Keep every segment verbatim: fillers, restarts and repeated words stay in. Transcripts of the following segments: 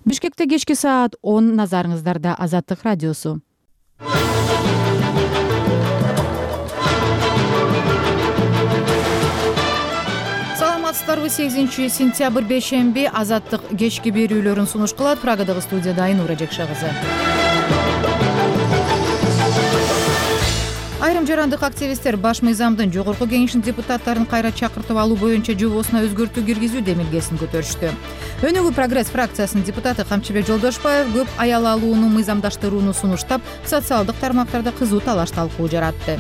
Бишкекте кечки саат он, назарыңыздарда Азаттык радиосу. Саламатсыздарбы? сегизинчи сентябрь бейшемби Азаттык кечки берүүлөрүн сунуш кылат. Прагадагы студияда Айнура Жекша кызы. Айрым жарандык активисттер Баш мыйзамдын жогорку кеңешинин депутаттарын кайра чакыртып алуу боюнча жобосуна өзгөртүү киргизүү демилгесин көтөрүштү. Өнүгүү прогресс фракциясынын депутаты Камчыбек Жолдошбаев көп аял алууну мыйзамдаштырууну сунуштап, социалдык тармактарда кызуу талаш талкуу жаратты.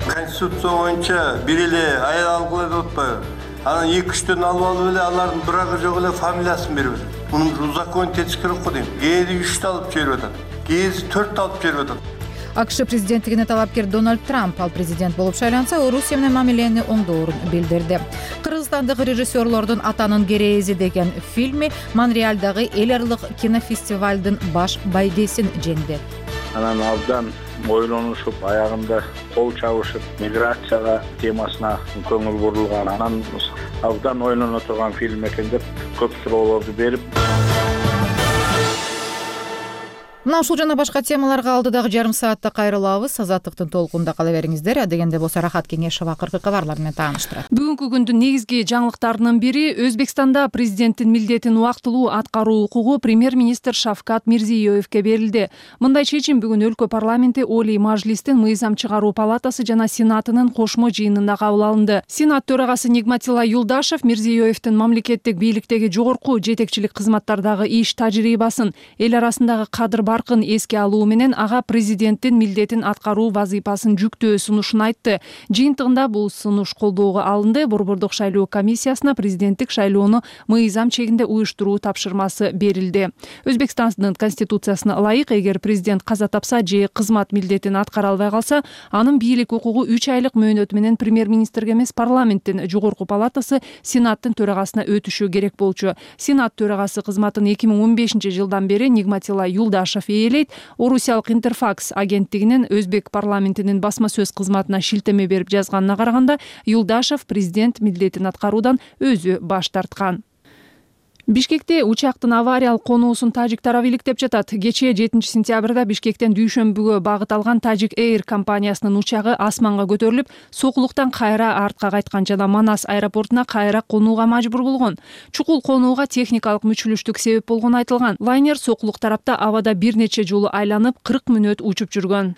Конституция боюнча бир эле аял алгыла деп атпайбы? Анан эки үчтөн алып алып эле алардын брагы жок эле фамилиясын берип атат. Мунун узакон тескери го дейм. Кээде үчтү алып жиберип атат. Кээде төрттү алып жиберип атат. АКШ президенттигине талапкер Дональд Трамп ал президент болуп шайланса, Орусия менен мамилени оңдоорун билдирди. Кыргызстандык режиссерлордун Атанын керээзи деген фильми Монреалдагы эл аралык кинофестивалдын баш байгесин жеңди. Анан абдан ойлонушуп, аягында кол чабышып, миграцияга темасына көңүл бурулган, анан абдан ойлоно турган фильм экен деп көп суроолорду берип. Мына ушул жана башка темаларга алдыдагы жарым саатта кайрылабыз. Азаттыктын толкунда кала бериңиздер. Адегенде болсо Рахат Кеңешова акыркы кабарлар менен тааныштырат. Бүгүнкү күндүн негизги жаңылыктарынын бири Өзбекстанда президенттин милдетин убактылуу аткаруу укугу премьер-министр Шавкат Мирзиёевке берилди. Мындай чечим бүгүн өлкө парламенти Олий Мажлистин мыйзам чыгаруу палатасы жана Сенатынын кошмо жыйынында кабыл алынды. Сенат төрагасы Нигматилла Юлдашев Мирзиёевдин мамлекеттик бийликтеги жогорку жетекчилик кызматтардагы иш тажрыйбасын, эл арасындагы кадыр баркын эске алуу менен ага президенттин милдетин аткаруу вазыйпасын жүктөө сунушун айтты. Жыйынтыгында бул сунуш колдоого алынды. Борбордук шайлоо комиссиясына президенттик шайлоону мыйзам чегинде уюштуруу тапшырмасы берилди. Өзбекстандын конституциясына ылайык, эгер президент каза тапса же кызмат милдетин аткара албай калса, анын бийлик укугу үч айлык мөөнөт менен премьер-министрге эмес, парламенттин жогорку палатасы Сенаттын төрагасына өтүшү керек болчу. Сенат төрагасы кызматын эки миң он бешинчи жылдан бери Нигматилла Юлдашев ээлейт. Орусиялык Интерфакс агенттигинин Өзбек парламентинин басма сөз кызматына шилтеме берип жазганына караганда, Юлдашев президент милдетин аткаруудан өзү баш тарткан. Бишкекте учактын авариялык конуусун тажик тарабы иликтеп жатат. Кечээ жетинчи сентябрда Бишкектен Дүйшөмбүгө багыт алган Тажик Эйр компаниясынын учагы асманга көтөрүлүп, сокулуктан кайра артка кайткан жана Манас аэропортуна кайра конууга мажбур болгон. Чукул конууга техникалык мүчүлүштүк себеп болгону айтылган. Лайнер сокулук тарапта абада бир нече жолу айланып, кырк мүнөт учуп жүргөн.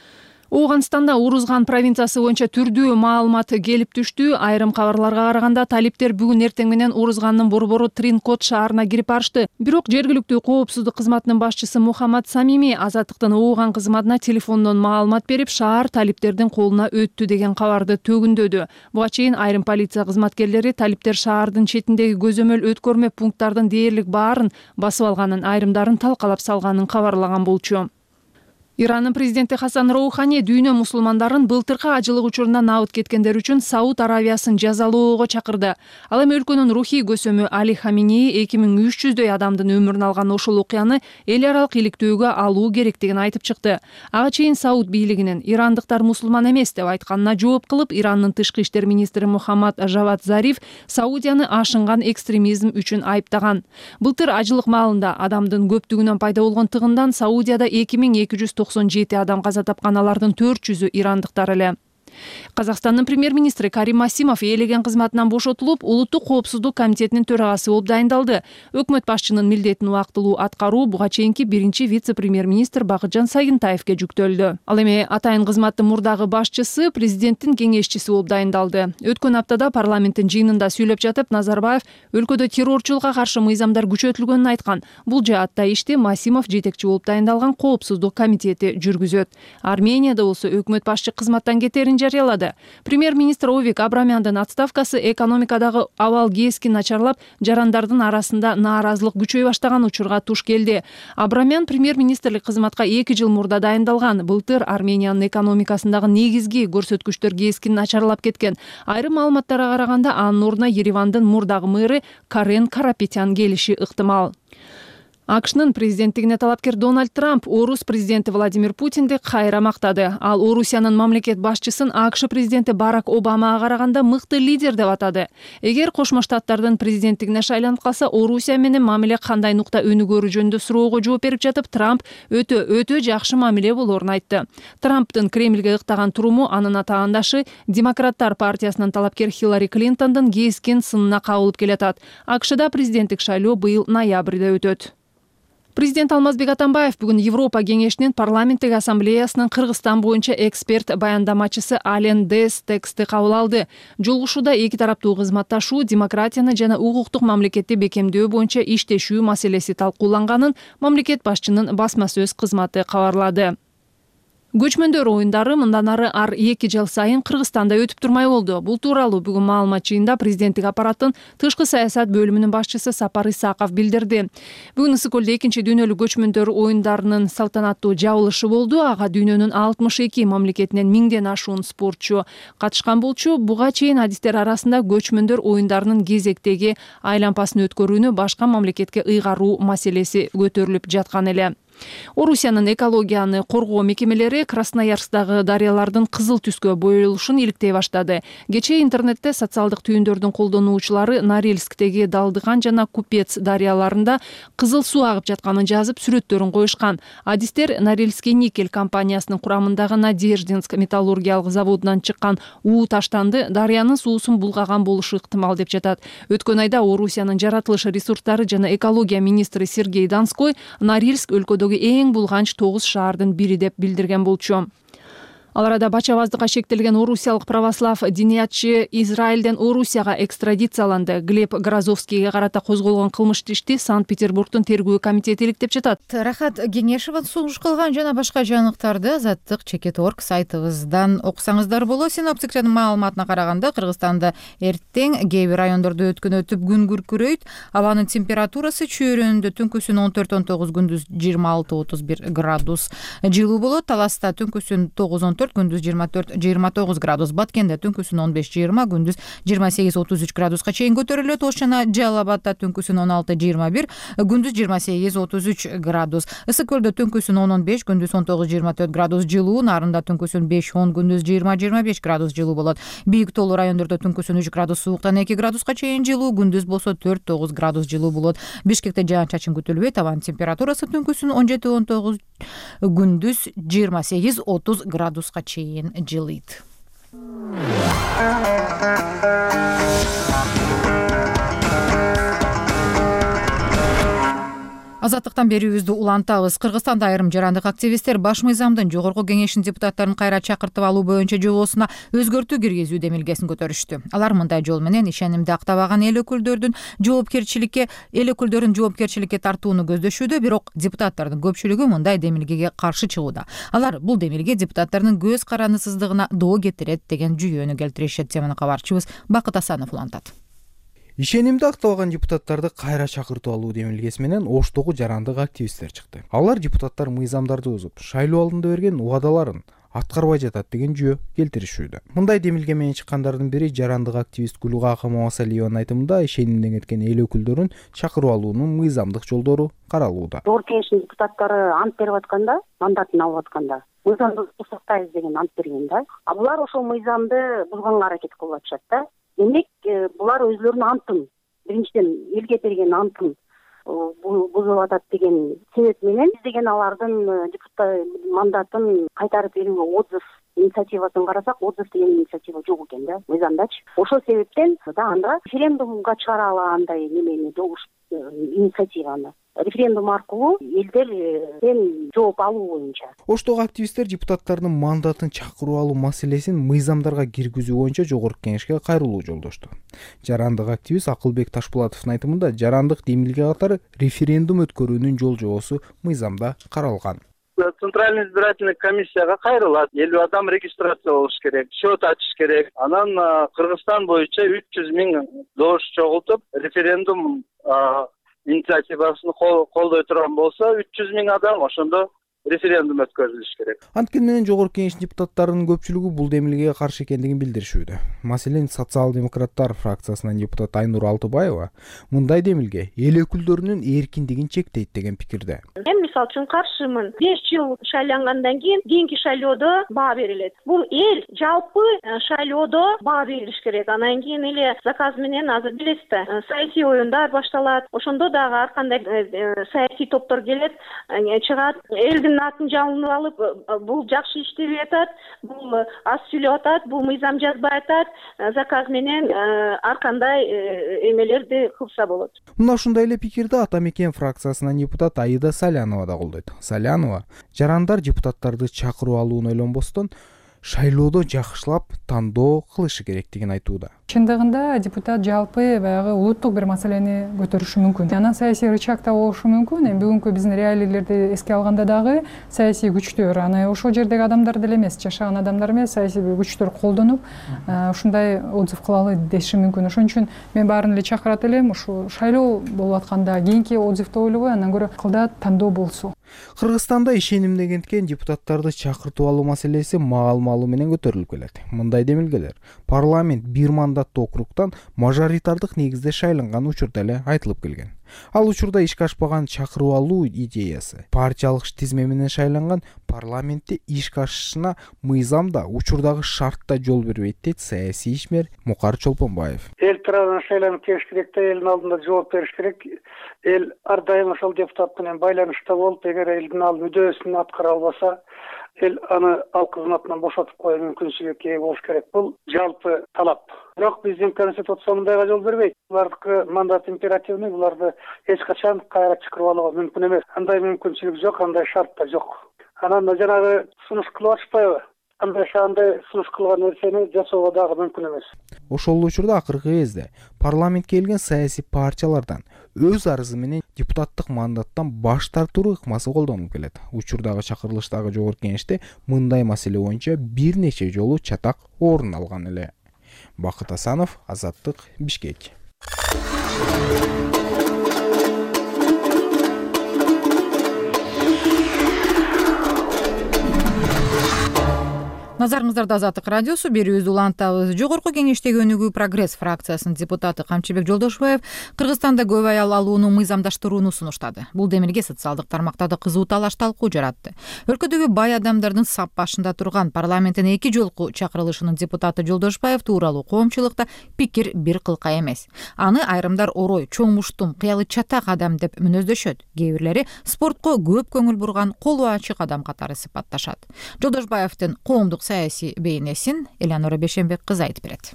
Ооганстанда Урузган провинциясы боюнча түрдүү маалымат келип түштү. Айрым кабарларга караганда, талиптер бүгүн эртең менен Урузгандын борбору Тринкот шаарына кирип барышты. Бирок жергиликтүү коопсуздук кызматынын башчысы Мухаммад Самими Азаттыктын Ооган кызматына телефондон маалымат берип, шаар талиптердин колуна өттү деген кабарды төгүндөдү. Буга чейин айрым полиция кызматкерлери талиптер шаардын четиндеги көзөмөл өткөрмө пункттардын дээрлик баарын басып алганын, айрымдарын талкалап салганын кабарлаган болчу. Иранын президенти Хасан Роухани дүйнө мусулмандарын былтыркы ажылык учурунда набыт кеткендер үчүн Сауд Аравиясын жазалоого чакырды. Ал эми өлкөнүн рухий көсөмү Али Хаминеи эки миң үч жүздөй адамдын өмүрүн алган ошол окуяны эл аралык иликтөөгө алуу керектигин айтып чыкты. Ага чейин Сауд бийлигинин ирандыктар мусулман эмес деп айтканына жооп кылып, Ирандын тышкы иштер министри Мухаммад Жавад Зариф Саудияны ашынган экстремизм үчүн айыптаган. Былтыр ажылык маалында адамдын көптүгүнөн пайда болгон тыгындан Саудияда эки миң эки жүз токсон жети адам каза тапкан, алардын төрт жүзү ирандыктар эле. Казакстандын премьер-министри Карим Масимов ээлеген кызматынан бошотулуп, улуттук коопсуздук комитетинин төрагасы болуп дайындалды. Өкмөт башчынын милдетин убактылуу аткаруу буга чейинки биринчи вице-премьер-министр Бакытжан Сагынтаевке жүктөлдү. Ал эми атайын кызматтын мурдагы башчысы президенттин кеңешчиси болуп дайындалды. Өткөн аптада парламенттин жыйынында сүйлөп жатып, Назарбаев өлкөдө террорчулукка каршы мыйзамдар күчөтүлгөнүн айткан. Бул жаатта ишти Масимов жетекчи болуп дайындалган коопсуздук комитети жүргүзөт. Арменияда болсо өкмөт башчы кызматтан кетерин жарыялады. Премьер-министр Овик Абрамяндын отставкасы экономикадагы абал кескин начарлап, жарандардын арасында нааразылык күчөй баштаган учурга туш келди. Абрамян премьер-министрлик кызматка эки жыл мурда дайындалган. Былтыр Армениянын экономикасындагы негизги көрсөткүчтөр кескин начарлап кеткен. Айрым маалыматтарга караганда, анын ордуна Еревандын мурдагы мэры Карен Карапетян келиши ыктымал. АКШнын президенттигине талапкер Дональд Трамп орус президенти Владимир Путинди кайра мактады. Ал Орусиянын мамлекет башчысын АКШ президенти Барак Обамага караганда мыкты лидер деп атады. Эгер Кошмо Штаттардын президенттигине шайланып калса, Орусия менен мамиле кандай нукта өнүгөрү жөнүндө суроого жооп берип жатып, Трамп өтө өтө жакшы мамиле болоорун айтты. Трамптын Кремлге ыктаган туруму анын атаандашы Демократтар партиясынын талапкер Хиллари Клинтондун кескин сынына кабылып келатат. АКШда президенттик шайлоо быйыл ноябрда өтөт. Президент Алмазбек Атамбаев бүгүн Европа кеңешинин парламенттик ассамблеясынын Кыргызстан боюнча эксперт баяндамачысы Ален Дес тексти кабыл алды. Жолугушууда эки тараптуу кызматташуу, демократияны жана укуктук мамлекетти бекемдөө боюнча иштешүү маселеси талкууланганын мамлекет башчынын басма сөз кызматы кабарлады. Көчмөндөр оюндары мындан ары ар эки жыл сайын Кыргызстанда өтүп турмай болду. Бул тууралуу бүгүн маалымат жыйында президенттик аппараттын тышкы саясат бөлүмүнүн башчысы Сапар Исаков билдирди. Бүгүн Ысык көлдө экинчи дүйнөлүк көчмөндөр оюндарынын салтанаттуу жабылышы болду. Ага дүйнөнүн алтымыш эки мамлекетинен миңден ашуун спортчу катышкан болчу. Буга чейин адистер арасында көчмөндөр оюндарынын кезектеги айлампасын өткөрүүнү башка мамлекетке ыйгаруу маселеси көтөрүлүп жаткан эле. Орусиянын экологияны коргоо мекемелери Красноярскдагы дарыялардын кызыл түскө боелушун иликтей баштады. Кечээ интернетте социалдык түйүндөрдүн колдонуучулары Норильсктеги Далдыган жана Купец дарыяларында кызыл суу агып жатканын жазып, сүрөттөрүн коюшкан. Адистер Норильский никель компаниясынын курамындагы Надеждинск металлургиялык заводунан чыккан уу таштанды дарыянын суусун булгаган болушу ыктымал деп жатат. Өткөн айда Орусиянын жаратылыш ресурстары жана экология министри Сергей Донской Норильск өлкөдө эң булганч тогуз шаардын бири деп билдирген болчу. Ал арада бачабаздыкка шектелген орусиялык православ диниятчы Израилден Орусияга экстрадицияланды. Глеб Грозовскийге карата козголгон кылмыштуу ишти Санкт-Петербургдун тергөө комитети иликтеп жатат. Рахат Кеңешова сунуш кылган жана башка жаңылыктарды Азаттык чекит орг сайтыбыздан окусаңыздар болот. Синоптиктердин маалыматына караганда Кыргызстанда эртең кээ бир райондордо өткөн өтүп күн күркүрөйт. Абанын температурасы чөйрөндө түнкүсүн он төрт он тогуз, күндүз жыйырма алты отуз бир градус жылуу болот. Таласта түнкүсүн тогуз он төрт, күндүз жыйырма төрт жыйырма тогуз градус, Баткенде түнкүсүн он беш жыйырма, күндүз жыйырма сегиз отуз үч градуска чейин көтөрүлөт. Ош жана Жалал Абадда түнкүсүн он алты жыйырма бир, күндүз жыйырма сегиз отуз үч градус. Ысык көлдө түнкүсүн он он беш, күндүз он тогуз жыйырма төрт градус жылуу, Нарында түнкүсүн беш он, күндүз жыйырма жыйырма беш градус жылуу болот. Бийик тоолуу райондордо түнкүсүн үч градус сууктан эки градуска чейин жылуу, күндүз болсо төрт тогуз градус жылуу болот. Бишкекте жаан-чачын күтүлбөйт. Абанын температурасы түнкүсүн он жети он тогуз, күндүз жыйырма сегиз отуз градуска чейин жылыйт. Азаттыктан берүүбүздү улантабыз. Кыргызстанда айрым жарандык активисттер Баш мыйзамдын жогорку кеңешинин депутаттарын кайра чакыртып алуу боюнча жобосуна өзгөртүү киргизүү демилгесин көтөрүштү. Алар мындай жол менен ишенимди актабаган эл өкүлдөрдүн жоопкерчиликке эл өкүлдөрүн жоопкерчиликке тартууну көздөшүүдө, бирок депутаттардын көпчүлүгү мындай демилгеге каршы чыгууда. Алар бул демилге депутаттардын көз карандысыздыгына доо кетирет деген жүйөнү келтиришет. Теманы кабарчыбыз Бакыт Асанов улантат. Ишенимди актабаган депутаттарды кайра чакыртып алуу демилгеси менен Оштогу жарандык активисттер чыкты. Алар депутаттар мыйзамдарды бузуп, шайлоо алдында берген убадаларын аткарбай жатат деген жүйө келтиришүүдө. Мындай демилге менен чыккандардын бири жарандык активист Гүлгакы Мамасалиеванын айтымында ишенимден кеткен эл өкүлдөрүн чакырып алуунун мыйзамдык жолдору каралууда. Жогорку кеңештин депутаттары ант берип атканда, мандатын алып атканда, мыйзамды сактайбыз деген ант берген да. А булар ошол мыйзамды бузганга аракет кылып атышат да. Демек, булар өзлөрүнүн антын, биринчиден элге берген антын бузуп атат деген себеп менен биз деген алардын депутат мандатын кайтарып берүүгө отзыв инициативасын карасак, отзыв деген инициатива жок экен да, мыйзамдачы. Ошол себептен да анда референдумга чыгара алгандай немени добуш инициативаны. Референдум аркылуу элдерден жооп алуу боюнча. Оштогу активисттер депутаттардын мандатын чакырып алуу маселесин мыйзамдарга киргизүү боюнча жогорку кеңешке кайрылуу жолдошту. Жарандык активист Акылбек Ташпулатовдун айтымында жарандык демилге катары референдум өткөрүүнүн жол жобосу мыйзамда каралган. Центральный избирательный комиссияга кайрылат. элүү адам регистрация болуш керек, счет ачыш керек. Анан Кыргызстан боюнча үч жүз миң добуш чогултуп, референдум инициативасын колдой турган болсо, үч жүз миң адам ошондо референдум өткөрүлүш керек. Анткени менен жогорку кеңештин депутаттарынын көпчүлүгү бул демилгеге каршы экендигин билдиришүүдө. Маселен, социал-демократтар фракциясынан депутат Айнур Алтыбаева мындай демилге эл өкүлдөрүнүн эркиндигин чектейт деген пикирде. Мен мисалы үчүн каршымын. беш жыл шайлангандан кийин кийинки шайлоодо баа берилет. Бул эл жалпы шайлоодо баа берилиш керек. Анан кийин эле заказ менен азыр билесиз да, саясий оюндар башталат. Ошондо дагы ар кандай саясий топтор келет, чыгат, элдин атын жалынып алып, бул жакшы иштебей атат, бул аз сүйлөп атат, бул мыйзам жазбай атат, заказ менен ар кандай эмелерди кылса болот. Мына ушундай эле пикирди Ата Мекен фракциясынан депутат Аида Салянова да колдойт. Салянова жарандар депутаттарды чакырып алууну ойлонбостон шайлоодо жакшылап тандоо кылышы керектигин айтууда. Чындыгында депутат жалпы баягы улуттук бир маселени көтөрүшү мүмкүн. Анан саясий рычаг да болушу мүмкүн. Эми бүгүнкү биздин реалийлерди эске алганда дагы саясий күчтөр, аны ошол жердеги адамдар деле эмес, жашаган адамдар эмес, саясий күчтөр колдонуп, ушундай отзыв кылалы деши мүмкүн. Ошон үчүн мен баарын эле чакырат элем, ушу шайлоо болуп атканда кийинки отзывды ойлобой, андан көрө кылда тандоо болсу. Кыргызстанда ишенимдегенден депутаттарды чакыртып алуу маселеси маал-маалуу менен көтөрүлүп келет. Мындай демилгелер парламент бир мандаттуу округтан мажоритардык негизде шайланган учурда эле айтылып келген. Ал учурда ишке ашпаган чакырып алуу идеясы партиялык тизме менен шайланган парламентте ишке ашышына мыйзам да, учурдагы шарт да жол бербейт дейт саясий ишмер Мукар Чолпонбаев. Эл тарабынан шайланып келиш керек да, элдин алдында жооп бериш керек. Эл ар дайым ошол депутат менен байланышта болуп, эгер элдин ал мүдөөсүн аткара албаса, эл аны ал кызматынан бошотуп коюу мүмкүнчүлүгүнө ээ болуш керек. Бул жалпы талап. Бирок биздин конституция мындайга жол бербейт. Булардыкы мандат императивный, буларды эч качан кайра чакырып алууга мүмкүн эмес. Андай мүмкүнчүлүк жок, андай шарт да жок. Анан жанагы сунуш кылып атышпайбы? Андай андай сунуш кылган нерсени жасоого дагы мүмкүн эмес. Ошол учурда акыркы кезде парламентке келген саясий партиялардан өз арызы менен депутаттык мандаттан баш тартуу ыкмасы колдонулуп келет. Учурдагы чакырылыштагы жогорку кеңеште мындай маселе боюнча бир нече жолу чатак орун алган эле. Бакыт Асанов, Азаттык, Бишкек. Назарыңыздарда Азаттык радиосу, берүүбүздү улантабыз. Жогорку кеңештеги Өнүгүү Прогресс фракциясынын депутаты Камчыбек Жолдошбаев Кыргызстанда көп аял алууну мыйзамдаштырууну сунуштады. Бул демилге социалдык тармактарда кызуу талаш талкуу жаратты. Өлкөдөгү бай адамдардын сап башында турган парламенттин эки жолку чакырылышынын депутаты Жолдошбаев тууралуу коомчулукта пикир бир кылка эмес. Аны айрымдар орой, чоң муштум, кыялы чатак адам деп мүнөздөшөт. Кээ бирлери спортко көп көңүл бурган колу ачык адам катары сыпатташат. Жолдошбаевдин коомдук саясий бейнесин Элянора Бешенбек кызы айтып берет.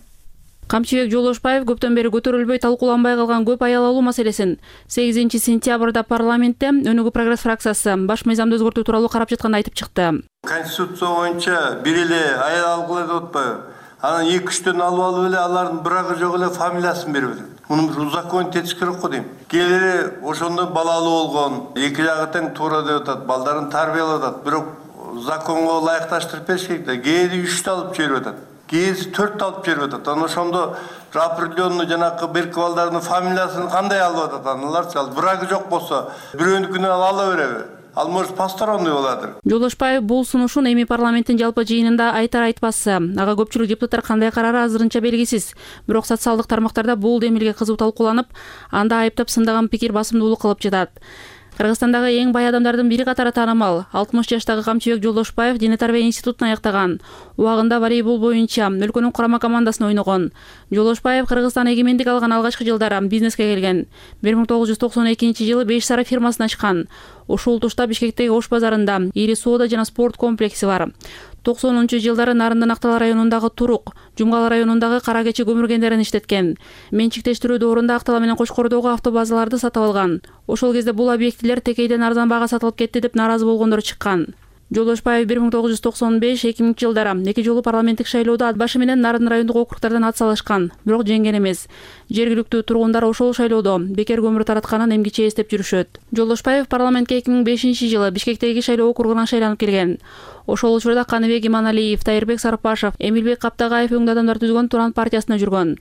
Камчыбек Жолдошбаев көптөн бери көтөрүлбөй талкууланбай калган көп аял алуу маселесин сегизинчи сентябрда парламентте Өнүгүү Прогресс фракциясы баш мыйзамды өзгөртүү тууралуу карап жатканда айтып чыкты. Конституция боюнча бир эле аял алгыла деп атпайбы? Анан эки үчтөн алып алып эле алардын бирагы жок эле фамилиясын берип атат. Муну бир узаконить этиш керек го дейм. Келери ошондо балалуу болгон, эки жагы тең туура деп атат, балдарын тарбиялап атат. Бирок законго ылайыкташтырып бериш керек да. Кээде үчтү алып жиберип атат. Кээде төрттү алып жиберип атат. Анан ошондо определенный жанакы берки балдардын фамилиясын кандай алып атат? Аналарчы ал бирагы жок болсо, бирөөнүкүнө ала береби? Ал может посторонний болатыр. Жолдошбаев бул сунушун эми парламенттин жалпы жыйынында айтар айтпасы. Ага көпчүлүк депутаттар кандай карары азырынча белгисиз. Бирок социалдык тармактарда бул демилге кызуу талкууланып, анда айыптап сындаган пикир басымдуулук кылып жатат. Кыргызстандагы эң бай адамдардын бири катары таанымал алтымыш жаштагы Камчыбек Жолдошбаев дене тарбия институтун аяктаган. Убагында волейбол боюнча өлкөнүн курама командасына ойногон. Жолдошбаев Кыргызстан эгемендик алган алгачкы жылдары бизнеске келген. бир миң тогуз жүз токсон экинчи жылы Беш Сара фирмасын ачкан. Ошол тушта Бишкектеги Ош базарында ири соода жана спорт комплекси бар. токсонунчу жылдары Нарындан Актал районундагы Турук, Жумгал районундагы Кара Кечи көмүр кендерин иштеткен. Менчиктештирүү доорунда Актала менен Кочкордогу автобазаларды сатып алган. Ошол кезде бул объектилер текейден арзан баага сатылып кетти деп наразы болгондор чыккан. Жолдошбаев бир миң тогуз жүз токсон беш эки миңинчи жылдары эки жолу парламенттик шайлоодо ат башы менен Нарын райондук округдардан ат салышкан, бирок жеңген эмес. Жергиликтүү тургундар ошол шайлоодо бекер көмүр таратканын эмгиче эстеп жүрүшөт. Жолдошбаев парламентке эки миң бешинчи жылы Бишкектеги шайлоо округунан шайланып келген. Ошол учурда Каныбек Иманалиев, Тайырбек Сарпашев, Эмилбек Каптагаев өңдүү адамдар түзгөн Туран партиясына жүргөн.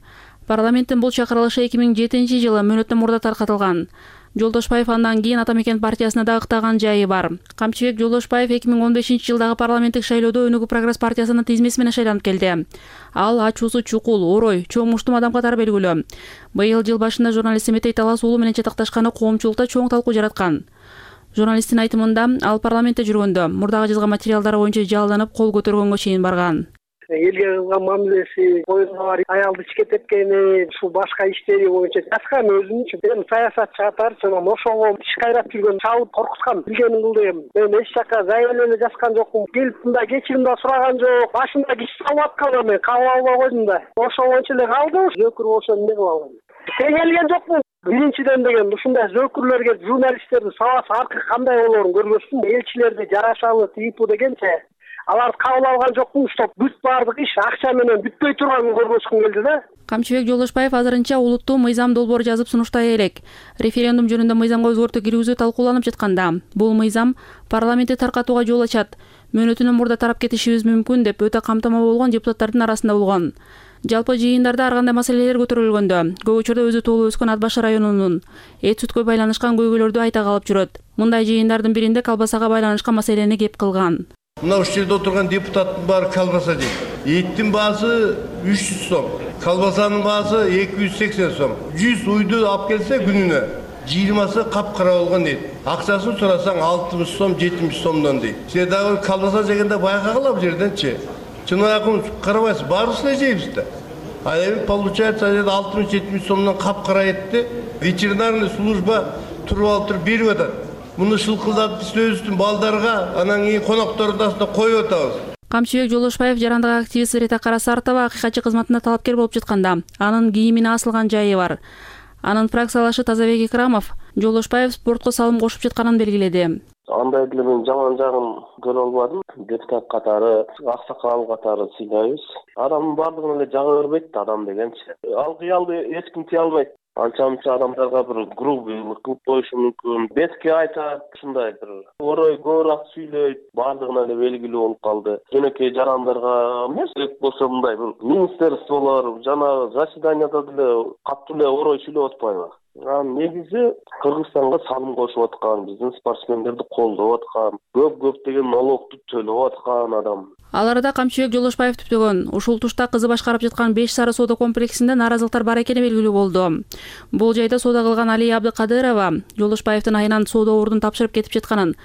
Парламенттин бул чакырылышы эки миң жетинчи жылы мөөнөттөн мурда таркатылган. Жолдошбаев андан кийин Ата мекен партиясына да ыктаган жайы бар. Камчыбек Жолдошбаев эки миң он бешинчи жылдагы парламенттик шайлоодо Өнүгүү прогресс партиясынын тизмеси менен шайланып келди. Ал ачуусу чукул, орой, чоң муштум адам катары белгилүү. Быйыл жыл башында журналист Эметей Талас уулу менен чатакташканы коомчулукта чоң талкуу жараткан. Журналисттин айтымында, ал парламентте жүргөндө мурдагы жазган материалдары боюнча жалданып кол көтөргөнгө чейин барган. Элге кылган мамилеси, коюнга бар аялды ичке тепкени, ушул башка иштери боюнча жазган өзүнчө. Мен саясатчы катары жана ошого иш кайрап жүргөн, чалып коркуткан, билгенин кыл дегем. Мен эч жака заявление эле жазган жокмун. Келип мындай кечирим да сураган жок. Башында киш салып аткан, мен кабыл албай койдум да. Ошо боюнча эле калдым. Зөкүр болсо эмне кылам? Теңелген жокмун. Биринчиден деген ушундай зөкүрлөргө журналисттерди сабасы аркы кандай болоорун көрбөсүн. Элчилерди жарашалы тыйпу дегенче аларды кабыл алган жокмун, стоп. Бүт баардык иш акча менен бүтпөй турганын көрбөскүм келди да. Камчыбек Жолдошбаев азырынча улуттуу мыйзам долбоор жазып сунуштай элек. Референдум жөнүндө мыйзамга өзгөртүү киргизүү талкууланып жатканда, бул мыйзам парламентти таркатууга жол ачат. Мөөнөтүнөн мурда тарап кетишибиз мүмкүн деп өтө камтама болгон депутаттардын арасында болгон. Жалпы жыйындарда ар кандай маселелер көтөрүлгөндө, көп учурда өзү туулуп өскөн Ат Баш районунун эт сүткө байланышкан көйгөйлөрдү айта калып жүрөт. Мындай жыйындардын биринде колбасага байланышкан маселени кеп кылган. Мына ушул жерде отурган депутаттын баары колбаса жейт. Эттин баасы үч жүз сом, колбасанын баасы эки жүз сексен сом. жүз уйду алып келсе күнүнө жыйырмасы капкара болгон дейт. Акчасын сурасаң алтымыш сом, жетимиш сомдон дейт. Сен дагы колбаса жегенде байкагыла бул жерденчи. Чынакын карабайсыз, баарыбыз эле жейбиз да. А эми получается алтымыш жетимиш сомдон капкара этти ветеринарный служба туруп алып туруп берип атат. Муну шылкылдатып биз өзүбүздүн балдарга, анан кийин коноктордун астына коюп атабыз. Камчыбек Жолдошбаев жарандык активист Рита Карасартова акыйкатчы кызматына талапкер болуп жатканда, анын кийимине асылган жайы бар. Анын фракциялашы Тазабек Икрамов Жолдошбаев спортко салым кошуп жатканын белгиледи. Андай деле мен жаман жагын көрө албадым. Депутат катары, аксакал катары сыйлайбыз. Адамдын бардыгын эле жага бербейт адам дегенчи. Ал кыялды эч ким тие албайт. Анча-мынча адамдарга бир грубыйлык кылып коюшу мүмкүн. Бетке айтат, ушундай бир орой көбүрөөк сүйлөйт. Бардыгына эле белгилүү болуп калды. Жөнөкөй жарандарга эмес, керек болсо мындай бир министерстволор жана заседанияда деле катуу эле орой сүйлөп атпайбы? Негизи Кыргызстанга салым кошуп аткан, биздин спортсмендерди колдоп аткан, көп-көп деген налогду төлөп аткан адам. Ал арада Камчыбек Жолдошбаев түптөгөн ушул тушта кызы башкарып жаткан беш сары соода комплексинде нааразылыктар бар экени белгилүү болду. Бул жайда соода кылган Алия Абдыкадырова Жолдошбаевдин айынан соода ордун тапшырып кетип жатканын,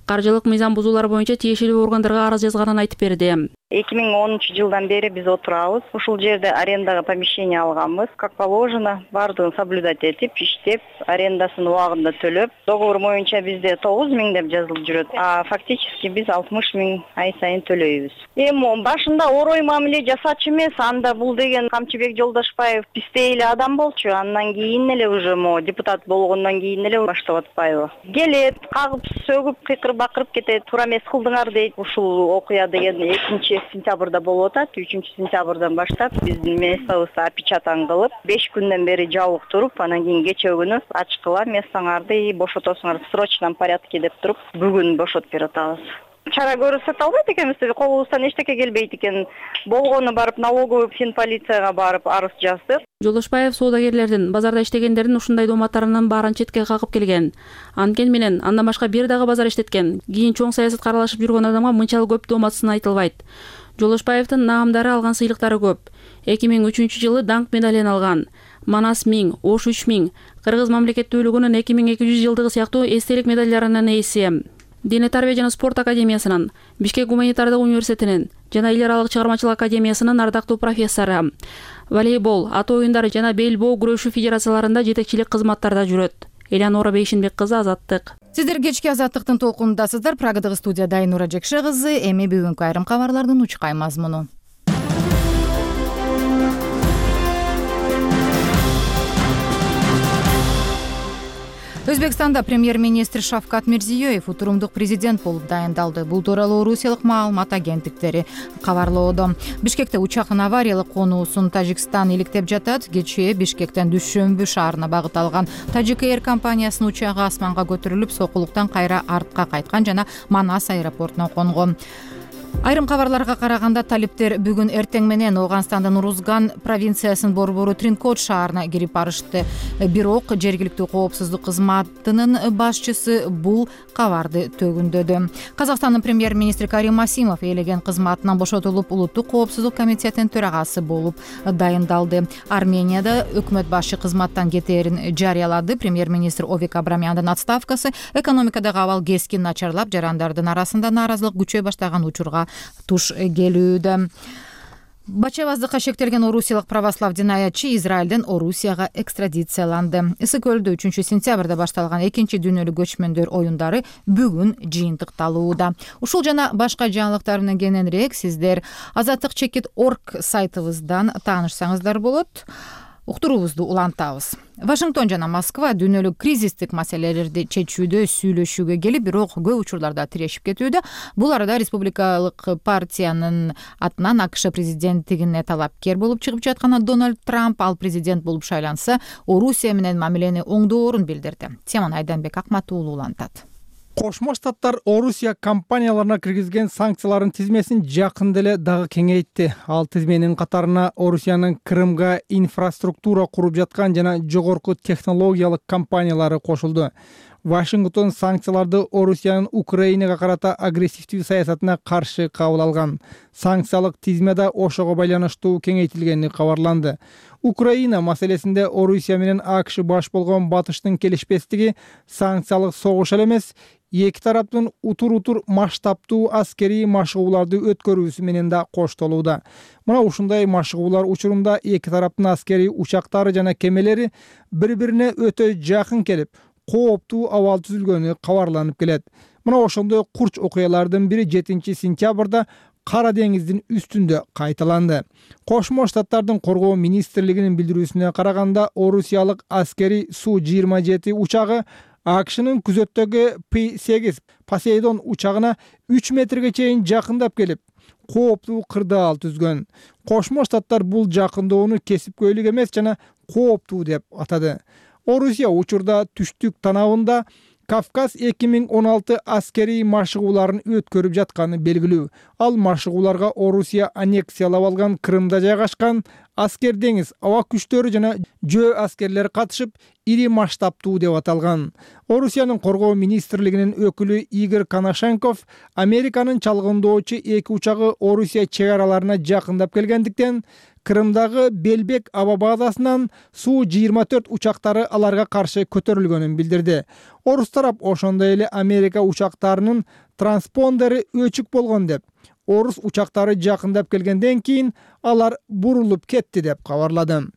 каржылык мыйзам бузуулар боюнча тиешелүү органдарга арыз жазганын айтып берди. эки миң онунчу жылдан бери биз отурабыз. Ушул жерде арендага помещение алганбыз. Как положено, бардыгын соблюдать этип, иштеп, арендасын убагында төлөп, договор боюнча бизде тогуз миң деп жазылып жүрөт. А фактически биз алтымыш миң ай сайын төлөйбүз. Эми башында орой мамиле жасачу эмес, анда бул деген Камчыбек Жолдошбаев пистей эле адам болчу. Андан кийин эле уже мо депутат болгондон кийин эле баштап атпайбы. Келет, кагып, сөгүп, кыйкырып бакырып кетет. Туура эмес кылдыңар дейт. Ушул окуя деген экинчи сентябрда болуп атат. үчүнчү сентябрдан баштап биздин местобузду опечатан кылып, беш күндөн бери жабык туруп, анан кийин кечээ күнү ачкыла местоңарды бошотосуңар в срочном порядке деп туруп, бүгүн бошотуп берип атабыз. Чара көрсөтө албайт экенбиз, колубуздан эчтеке келбейт экен. Болгону барып налоговый финполицияга барып арыз жаздык. Жолдошбаев соодагерлердин, базарда иштегендердин ушундай дооматтарынын баарын четке кагып келген. Анткени менен андан башка бир дагы базар иштеткен, кийин чоң саясатка аралашып жүргөн адамга мынчалык көп дооматсын айтылбайт. Жолдошбаевдин наамдары, алган сыйлыктары көп. эки миң үчүнчү жылы даңк медалин алган. Манас миң, Ош үч миң, Кыргыз мамлекеттүүлүгүнүн эки миң эки жүз жылдыгы сыяктуу эстелик медальдарынын ээси. Дене тарбия жана спорт академиясынын, Бишкек гуманитардык университетинин жана эл аралык чыгармачылык академиясынын ардактуу профессору. Волейбол, ат оюндары жана бел боо күрөшүү федерацияларында жетекчилик кызматтарда жүрөт. Элянора Бейшинбек кызы, Азаттык. Сиздер кечки Азаттыктын толкунундасыздар. Программадагы студияда Айнура Жекше кызы. Эми бүгүнкү айрым кабарлардын учкай мазмуну. Өзбекстанда премьер-министр Шавкат Мирзиёев утурумдук президент болуп дайындалды. Бул тууралуу орусиялык маалымат агенттиктери кабарлоодо. Бишкекте учактын авариялык конуусун Тажикстан иликтеп жатат. Кечээ Бишкектен Дүйшөмбү шаарына багыт алган Тажик Эйр компаниясынын учагы асманга көтөрүлүп, сокулуктан кайра артка кайткан жана Манас аэропортуна конгон. Айрым кабарларга караганда талиптер бүгүн эртең менен Ооганстандын Урузган провинциясынын борбору Тринкот шаарына кирип барышты. Бирок жергиликтүү коопсуздук кызматынын башчысы бул кабарды төгүндөдү. Казакстандын премьер-министри Карим Масимов ээлеген кызматынан бошотулуп, улуттук коопсуздук комитетинин төрагасы болуп дайындалды. Арменияда өкмөт башчы кызматтан кетээрин жарыялады. Премьер-министр Овик Абрамяндын отставкасы экономикадагы абал кескин начарлап, жарандардын арасында нааразылык күчөй баштаган учурга туш келүүдө. Бачабаздыкка шектелген орусиялык православ динаятчы Израилден Орусияга экстрадицияланды. Ысык көлдө үчүнчү сентябрда башталган экинчи дүйнөлүк көчмөндөр оюндары бүгүн жыйынтыкталууда. Ушул жана башка жаңылыктар менен кененирээк сиздер азаттык чекит точка орг сайтыбыздан таанышсаңыздар болот. Уктуруубузду улантабыз. Вашингтон жана Москва дүйнөлүк кризистик маселелерди чечүүдө сүйлөшүүгө келип, бирок көп учурларда тирешип кетүүдө. Бул арада республикалык партиянын атынан АКШ президенттигине талапкер болуп чыгып жаткан Дональд Трамп, ал президент болуп шайланса, Орусия менен мамилени оңдоорун билдирди. Теманы Айданбек Акмат уулу улантат. Кошмо Штаттар Орусия компанияларына киргизген санкциялардын тизмесин жакында эле дагы кеңейтти. Ал тизменин катарына Орусиянын Крымга инфраструктура куруп жаткан жана жогорку технологиялык компаниялары кошулду. Вашингтон санкцияларды Орусиянын Украинага карата агрессивдүү саясатына каршы кабыл алган. Санкциялык тизме да ошого байланыштуу кеңейтилгени кабарланды. Украина маселесинде Орусия менен АКШ баш болгон батыштын келишпестиги санкциялык согуш эле эмес, эки тараптын утур-утур масштабтуу аскерий машыгууларды өткөрүүсү менен да коштолууда. Мына ушундай машыгуулар учурунда эки тараптын аскерий учактары жана кемелери бири-бирине өтө жакын келип, кооптуу абал түзүлгөнү кабарланып келет. Мына ошондой курч окуялардын бири жетинчи сентябрда Кара деңиздин үстүндө кайталанды. Кошмо Штаттардын коргоо министрлигинин билдирүүсүнө караганда, орусиялык аскерий Су жыйырма жети учагы АКШнын күзөттөгү П сегиз Посейдон учагына үч метрге чейин жакындап келип, кооптуу кырдаал түзгөн. Кошмо Штаттар бул жакындоону кесипкөйлүк эмес жана кооптуу деп атады. Орусия учурда түштүк танабында Кавказ эки миң он алты аскерий машыгууларын өткөрүп жатканы белгилүү. Ал машыгууларга Орусия аннексиялап алган Крымда жайгашкан аскер деңиз аба күчтөрү жана жөө аскерлери катышып, ири масштабтуу деп аталган. Орусиянын коргоо министрлигинин өкүлү Игорь Коношенков Американын чалгындоочу эки учагы Орусия чек араларына жакындап келгендиктен, Крымдагы Белбек аба базасынан Су жыйырма төрт учактары аларга каршы көтөрүлгөнүн билдирди. Орус тарап ошондой эле Америка учактарынын транспондери өчүк болгон деп, орус учактары жакындап келгенден кийин алар бурулуп кетти деп кабарлады.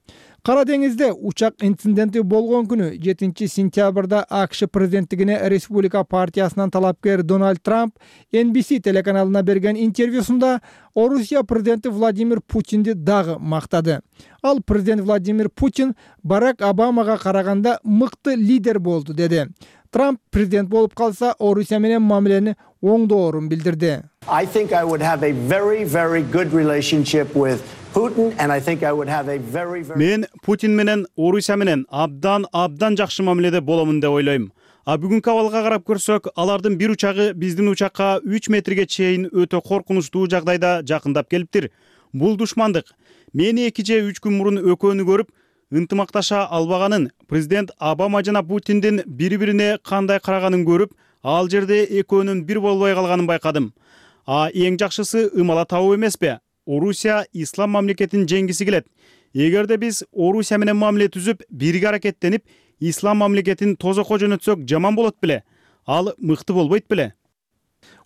Кара деңизде учак инциденти болгон күнү жетинчи сентябрда АКШ президенттигине Республика партиясынан талапкер Дональд Трамп Эн Би Си телеканалына берген интервьюсунда Орусия президенти Владимир Путинди дагы мактады. Ал президент Владимир Путин Барак Обамага караганда мыкты лидер болду деди. Трамп президент болуп калса, Орусия менен мамилени оңдоорун билдирди. I think I would have a very very good relationship with Putin and I think I would have a very very Мен Путин менен Орусия менен абдан абдан жакшы мамиледе боломун деп ойлойм. А бүгүнкү абалга карап көрсөк, алардын бир учагы биздин учакка үч метрге чейин өтө коркунучтуу жагдайда жакындап келиптир. Бул душмандык. Мен эки же үч күн мурун экөөнү көрүп, ынтымакташа албаганын, президент Обама жана Путиндин бири-бирине кандай караганын көрүп, ал жерде экөөнүн бир болбой калганын байкадым. А эң жакшысы ымала табуу эмеспи? Орусия ислам мамлекетин жеңгиси келет. Эгерде биз Орусия менен мамиле түзүп, бирге аракеттенип, ислам мамлекетин тозокко жөнөтсөк жаман болот беле? Ал мыкты болбойт беле?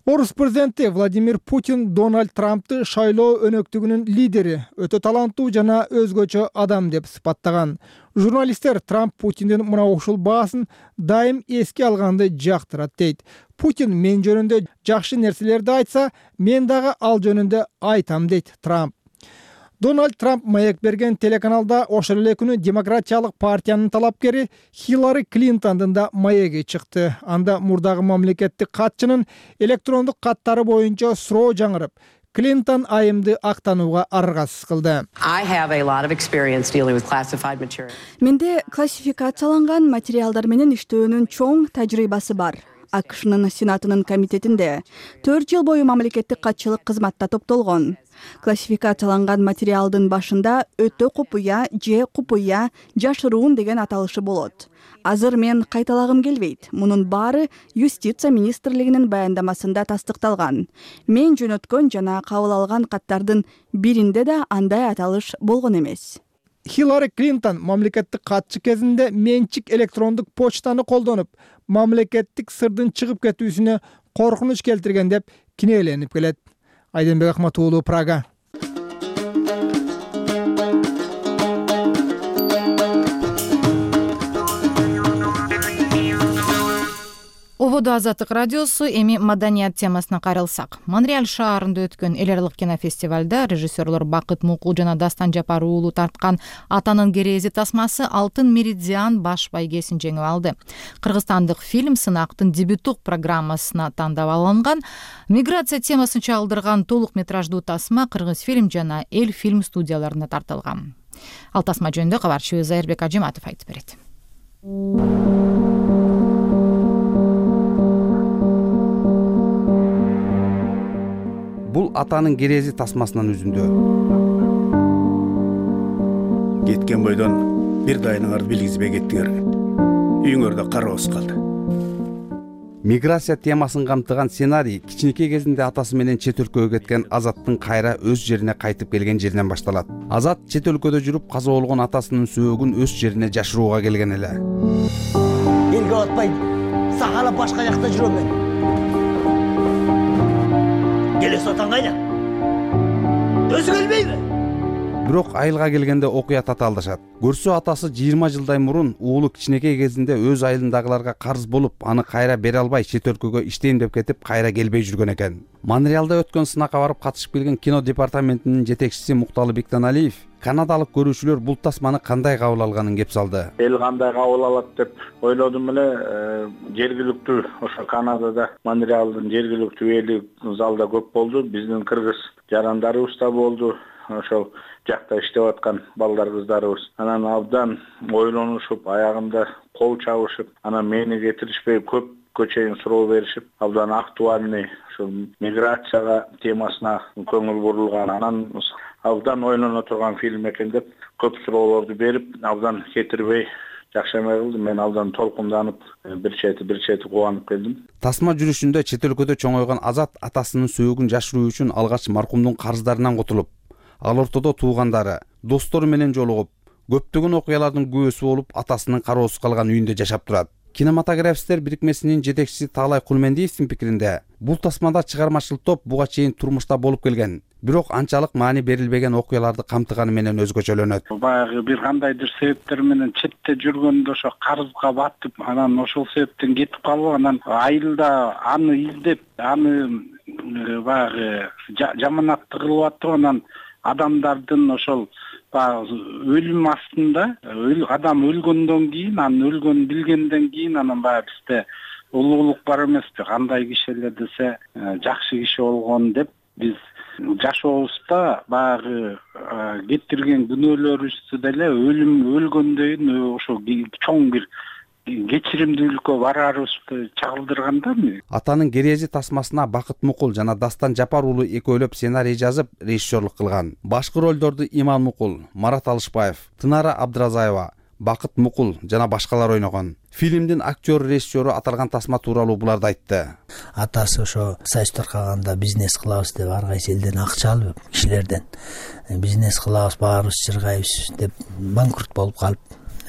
Орус президенти Владимир Путин Дональд Трампты шайлоо өнөктүгүнүн лидери, өтө таланттуу жана өзгөчө адам деп сыпаттаган. Журналисттер Трамп Путиндин мына ушул баасын дайым эске алганды жактырат дейт. Путин мен жөнүндө жакшы нерселерди айтса, мен дагы ал жөнүндө айтам дейт Трамп. Дональд Трамп маек берген телеканалда ошол эле күнү Демократиялык партиянын талапкери Хиллари Клинтондун да маеги чыкты. Анда мурдагы мамлекеттик катчынын электрондук каттары боюнча суроо жаңырып, Клинтон айымды актанууга аргасыз кылды. Менде классификацияланган материалдар менен иштөөнүн чоң тажрыйбасы бар. АКШнын Сенатынын комитетинде төрт жыл бою мамлекеттик катчылык кызматта топтолгон. Классификацияланган материалдын башында өтө купуя же купуя, жашыруун деген аталышы болот. Азыр мен кайталагым келбейт. Мунун баары Юстиция министрлигинин баяндамасында тастыкталган. Мен жөнөткөн жана кабыл алган каттардын биринде да андай аталыш болгон эмес. Хиллари Клинтон мамлекеттик катчы кезинде менчик электрондук почтаны колдонуп, мамлекеттик сырдын чыгып кетүүсүнө коркунуч келтирген деп кинеленип келет. Айденбек Ахмат уулу, Прага. Ободо Азаттык радиосу, эми маданият темасына кайрылсак. Монреаль шаарында өткөн эл аралык кинофестивалда режиссерлор Бакыт Мукул жана Дастан Жапар уулу тарткан Атанын керези тасмасы Алтын меридиан баш байгесин жеңип алды. Кыргызстандык фильм сынактын дебюттук программасына тандап алынган. Миграция темасын чагылдырган толук метраждуу тасма Кыргыз фильм жана Эл фильм студияларына тартылган. Ал тасма жөнүндө кабарчыбыз Зайырбек Ажиматов айтып берет. Бул Атанын керези тасмасынан үзүндү. Кеткен бойдон бир дайыныңарды билгизбей кеттиңер. Үйүңөрдө кароосуз калды. Миграция темасын камтыган сценарий кичинекей кезинде атасы менен чет өлкөгө кеткен Азаттын кайра өз жерине кайтып келген жеринен башталат. Азат чет өлкөдө жүрүп каза болгон атасынын сөөгүн өз жерине жашырууга келген эле. Элге батпай, сагала башка жакта жүрөм мен. Келес атаң кайда? Өзү келбейби? Бирок айылга келгенде окуя татаалдашат. Көрсө атасы жыйырма жылдай мурун уулу кичинекей кезинде өз айылындагыларга карыз болуп, аны кайра бере албай чет өлкөгө иштейм деп кетип, кайра келбей жүргөн экен. Монреалда өткөн сынакка барып катышып келген кино департаментинин жетекчиси Мукталы Бектаналиев канадалык көрүүчүлөр бул тасманы кандай кабыл алганын кеп салды. Эл кандай кабыл алат деп ойлодум эле. Жергиликтүү ошо Канадада Монреалдын жергиликтүү эли залда көп болду. Биздин кыргыз жарандарыбыз да болду. Ошол жакта иштеп аткан балдар кыздарыбыз. Анан абдан ойлонушуп, аягында кол чабышып, анан мени кетиришпей көп көчөйүн суроо беришип, абдан актуальный ушул миграцияга темасына көңүл бурулган. Анан абдан ойлоно турган фильм экен деп көп суроолорду берип, абдан кетирбей жакшы эме кылды. Мен абдан толкунданып, бир чети бир чети кубанып келдим. Тасма жүрүшүндө чет өлкөдө чоңойгон Азат атасынын сөөгүн жашыруу үчүн алгач маркумдун карыздарынан кутулуп, ал ортодо туугандары, достору менен жолугуп, көптөгөн окуялардын күбөсү болуп, атасынын кароосуз калган үйүндө жашап турат. Кинематографисттер бирикмесинин жетекчиси Таалай Кулмендиевдин пикиринде, бул тасмада чыгармачыл топ буга чейин турмушта болуп келген, бирок анчалык маани берилбеген окуяларды камтыганы менен өзгөчөлөнөт. Баягы бир кандайдыр себептер менен четте жүргөндө ошо карызга батып, анан ошол себептен кетип калып, анан айылда аны издеп, аны баягы жаманатты кылып атып, анан адамдардын ошол өлүм астында, адам өлгөндөн кийин, анын өлгөнүн билгенден кийин, анан баягы бизде улуулук бар эмеспи, кандай киши эле десе жакшы киши болгон деп биз жашообузда баягы кетирген күнөөлөрүбүздү деле өлүм өлгөндөн ошо чоң бир кечиримдүүлүккө бараарыбызды чагылдырганда. Атанын керези тасмасына Бакыт Мукул жана Дастан Жапар уулу экөөлөп сценарий жазып, режиссерлук кылган. Башкы ролдорду Иман Мукул, Марат Алышбаев, Тынара Абдыразаева, Бакыт Мукул жана башкалар ойногон. Фильмдин актер режиссеру аталган тасма тууралуу буларды айтты. Атасы ошо сайыс таркаганда бизнес кылабыз деп ар кайсы элден акча алып, кишилерден бизнес кылабыз, баарыбыз чыргайбыз деп банкрот болуп калып,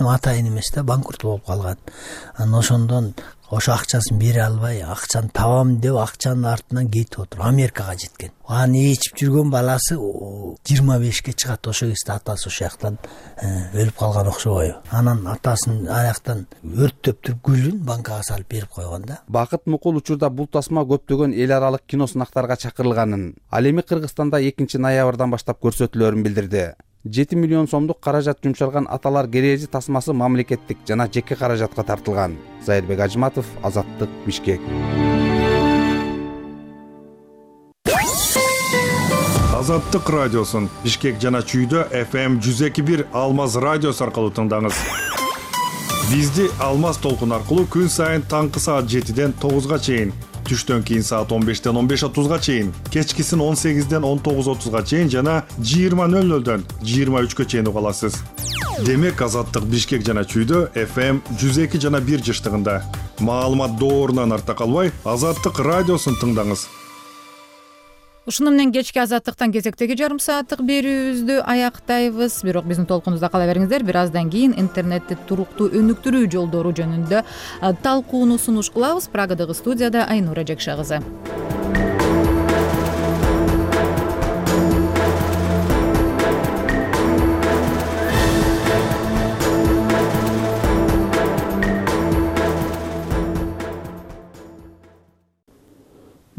атайын эмес да банкрот болуп калган. Анан ошондон ошо акчасын бере албай, акчаны табам деп акчанын артынан кетип отуруп Америкага жеткен. Аны ичип жүргөн баласы жыйырма бешке чыгат, ошо кезде атасы ошол жактан өлүп калган окшобойбу. Анан атасын аяктан өрттөп туруп гүлүн банкага салып берип койгон да. Бакыт Мукул учурда бул тасма көптөгөн эл аралык кино сынактарга чакырылганын, ал эми Кыргызстанда экинчи ноябрдан баштап көрсөтүлөрүн билдирди. жети миллион сомдук каражат жумшалган Аталар керези тасмасы мамлекеттик жана жеке каражатка тартылган. Зайырбек Ажиматов, Азаттык, Бишкек. Азаттык радиосун Бишкек жана Чүйдө эф эм жүз эки бир Алмаз радиосу аркылуу тыңдаңыз. Бизди Алмаз толкун аркылуу күн сайын таңкы саат жетиден тогузга чейин, түштөн кийин саат он бештен он беш отузга чейин, кечкисин он сегизден он тогуз отузга чейин жана жыйырма нөл нөлдөн жыйырма үчкө чейин уга аласыз. Демек Азаттык Бишкек жана Чүйдө эф эм жүз эки жана бир жыштыгында. Маалымат доорунан арта калбай, Азаттык радиосун тыңдаңыз. Ушуну менен кечки Азаттыктан кезектеги жарым сааттык берүүбүздү аяктайбыз. Бирок биздин толкунубузда кала бериңиздер. Бир аздан кийин интернетти туруктуу өнүктүрүү жолдору жөнүндө талкууну сунуш кылабыз. Прагадагы студияда Айнура Жекша кызы.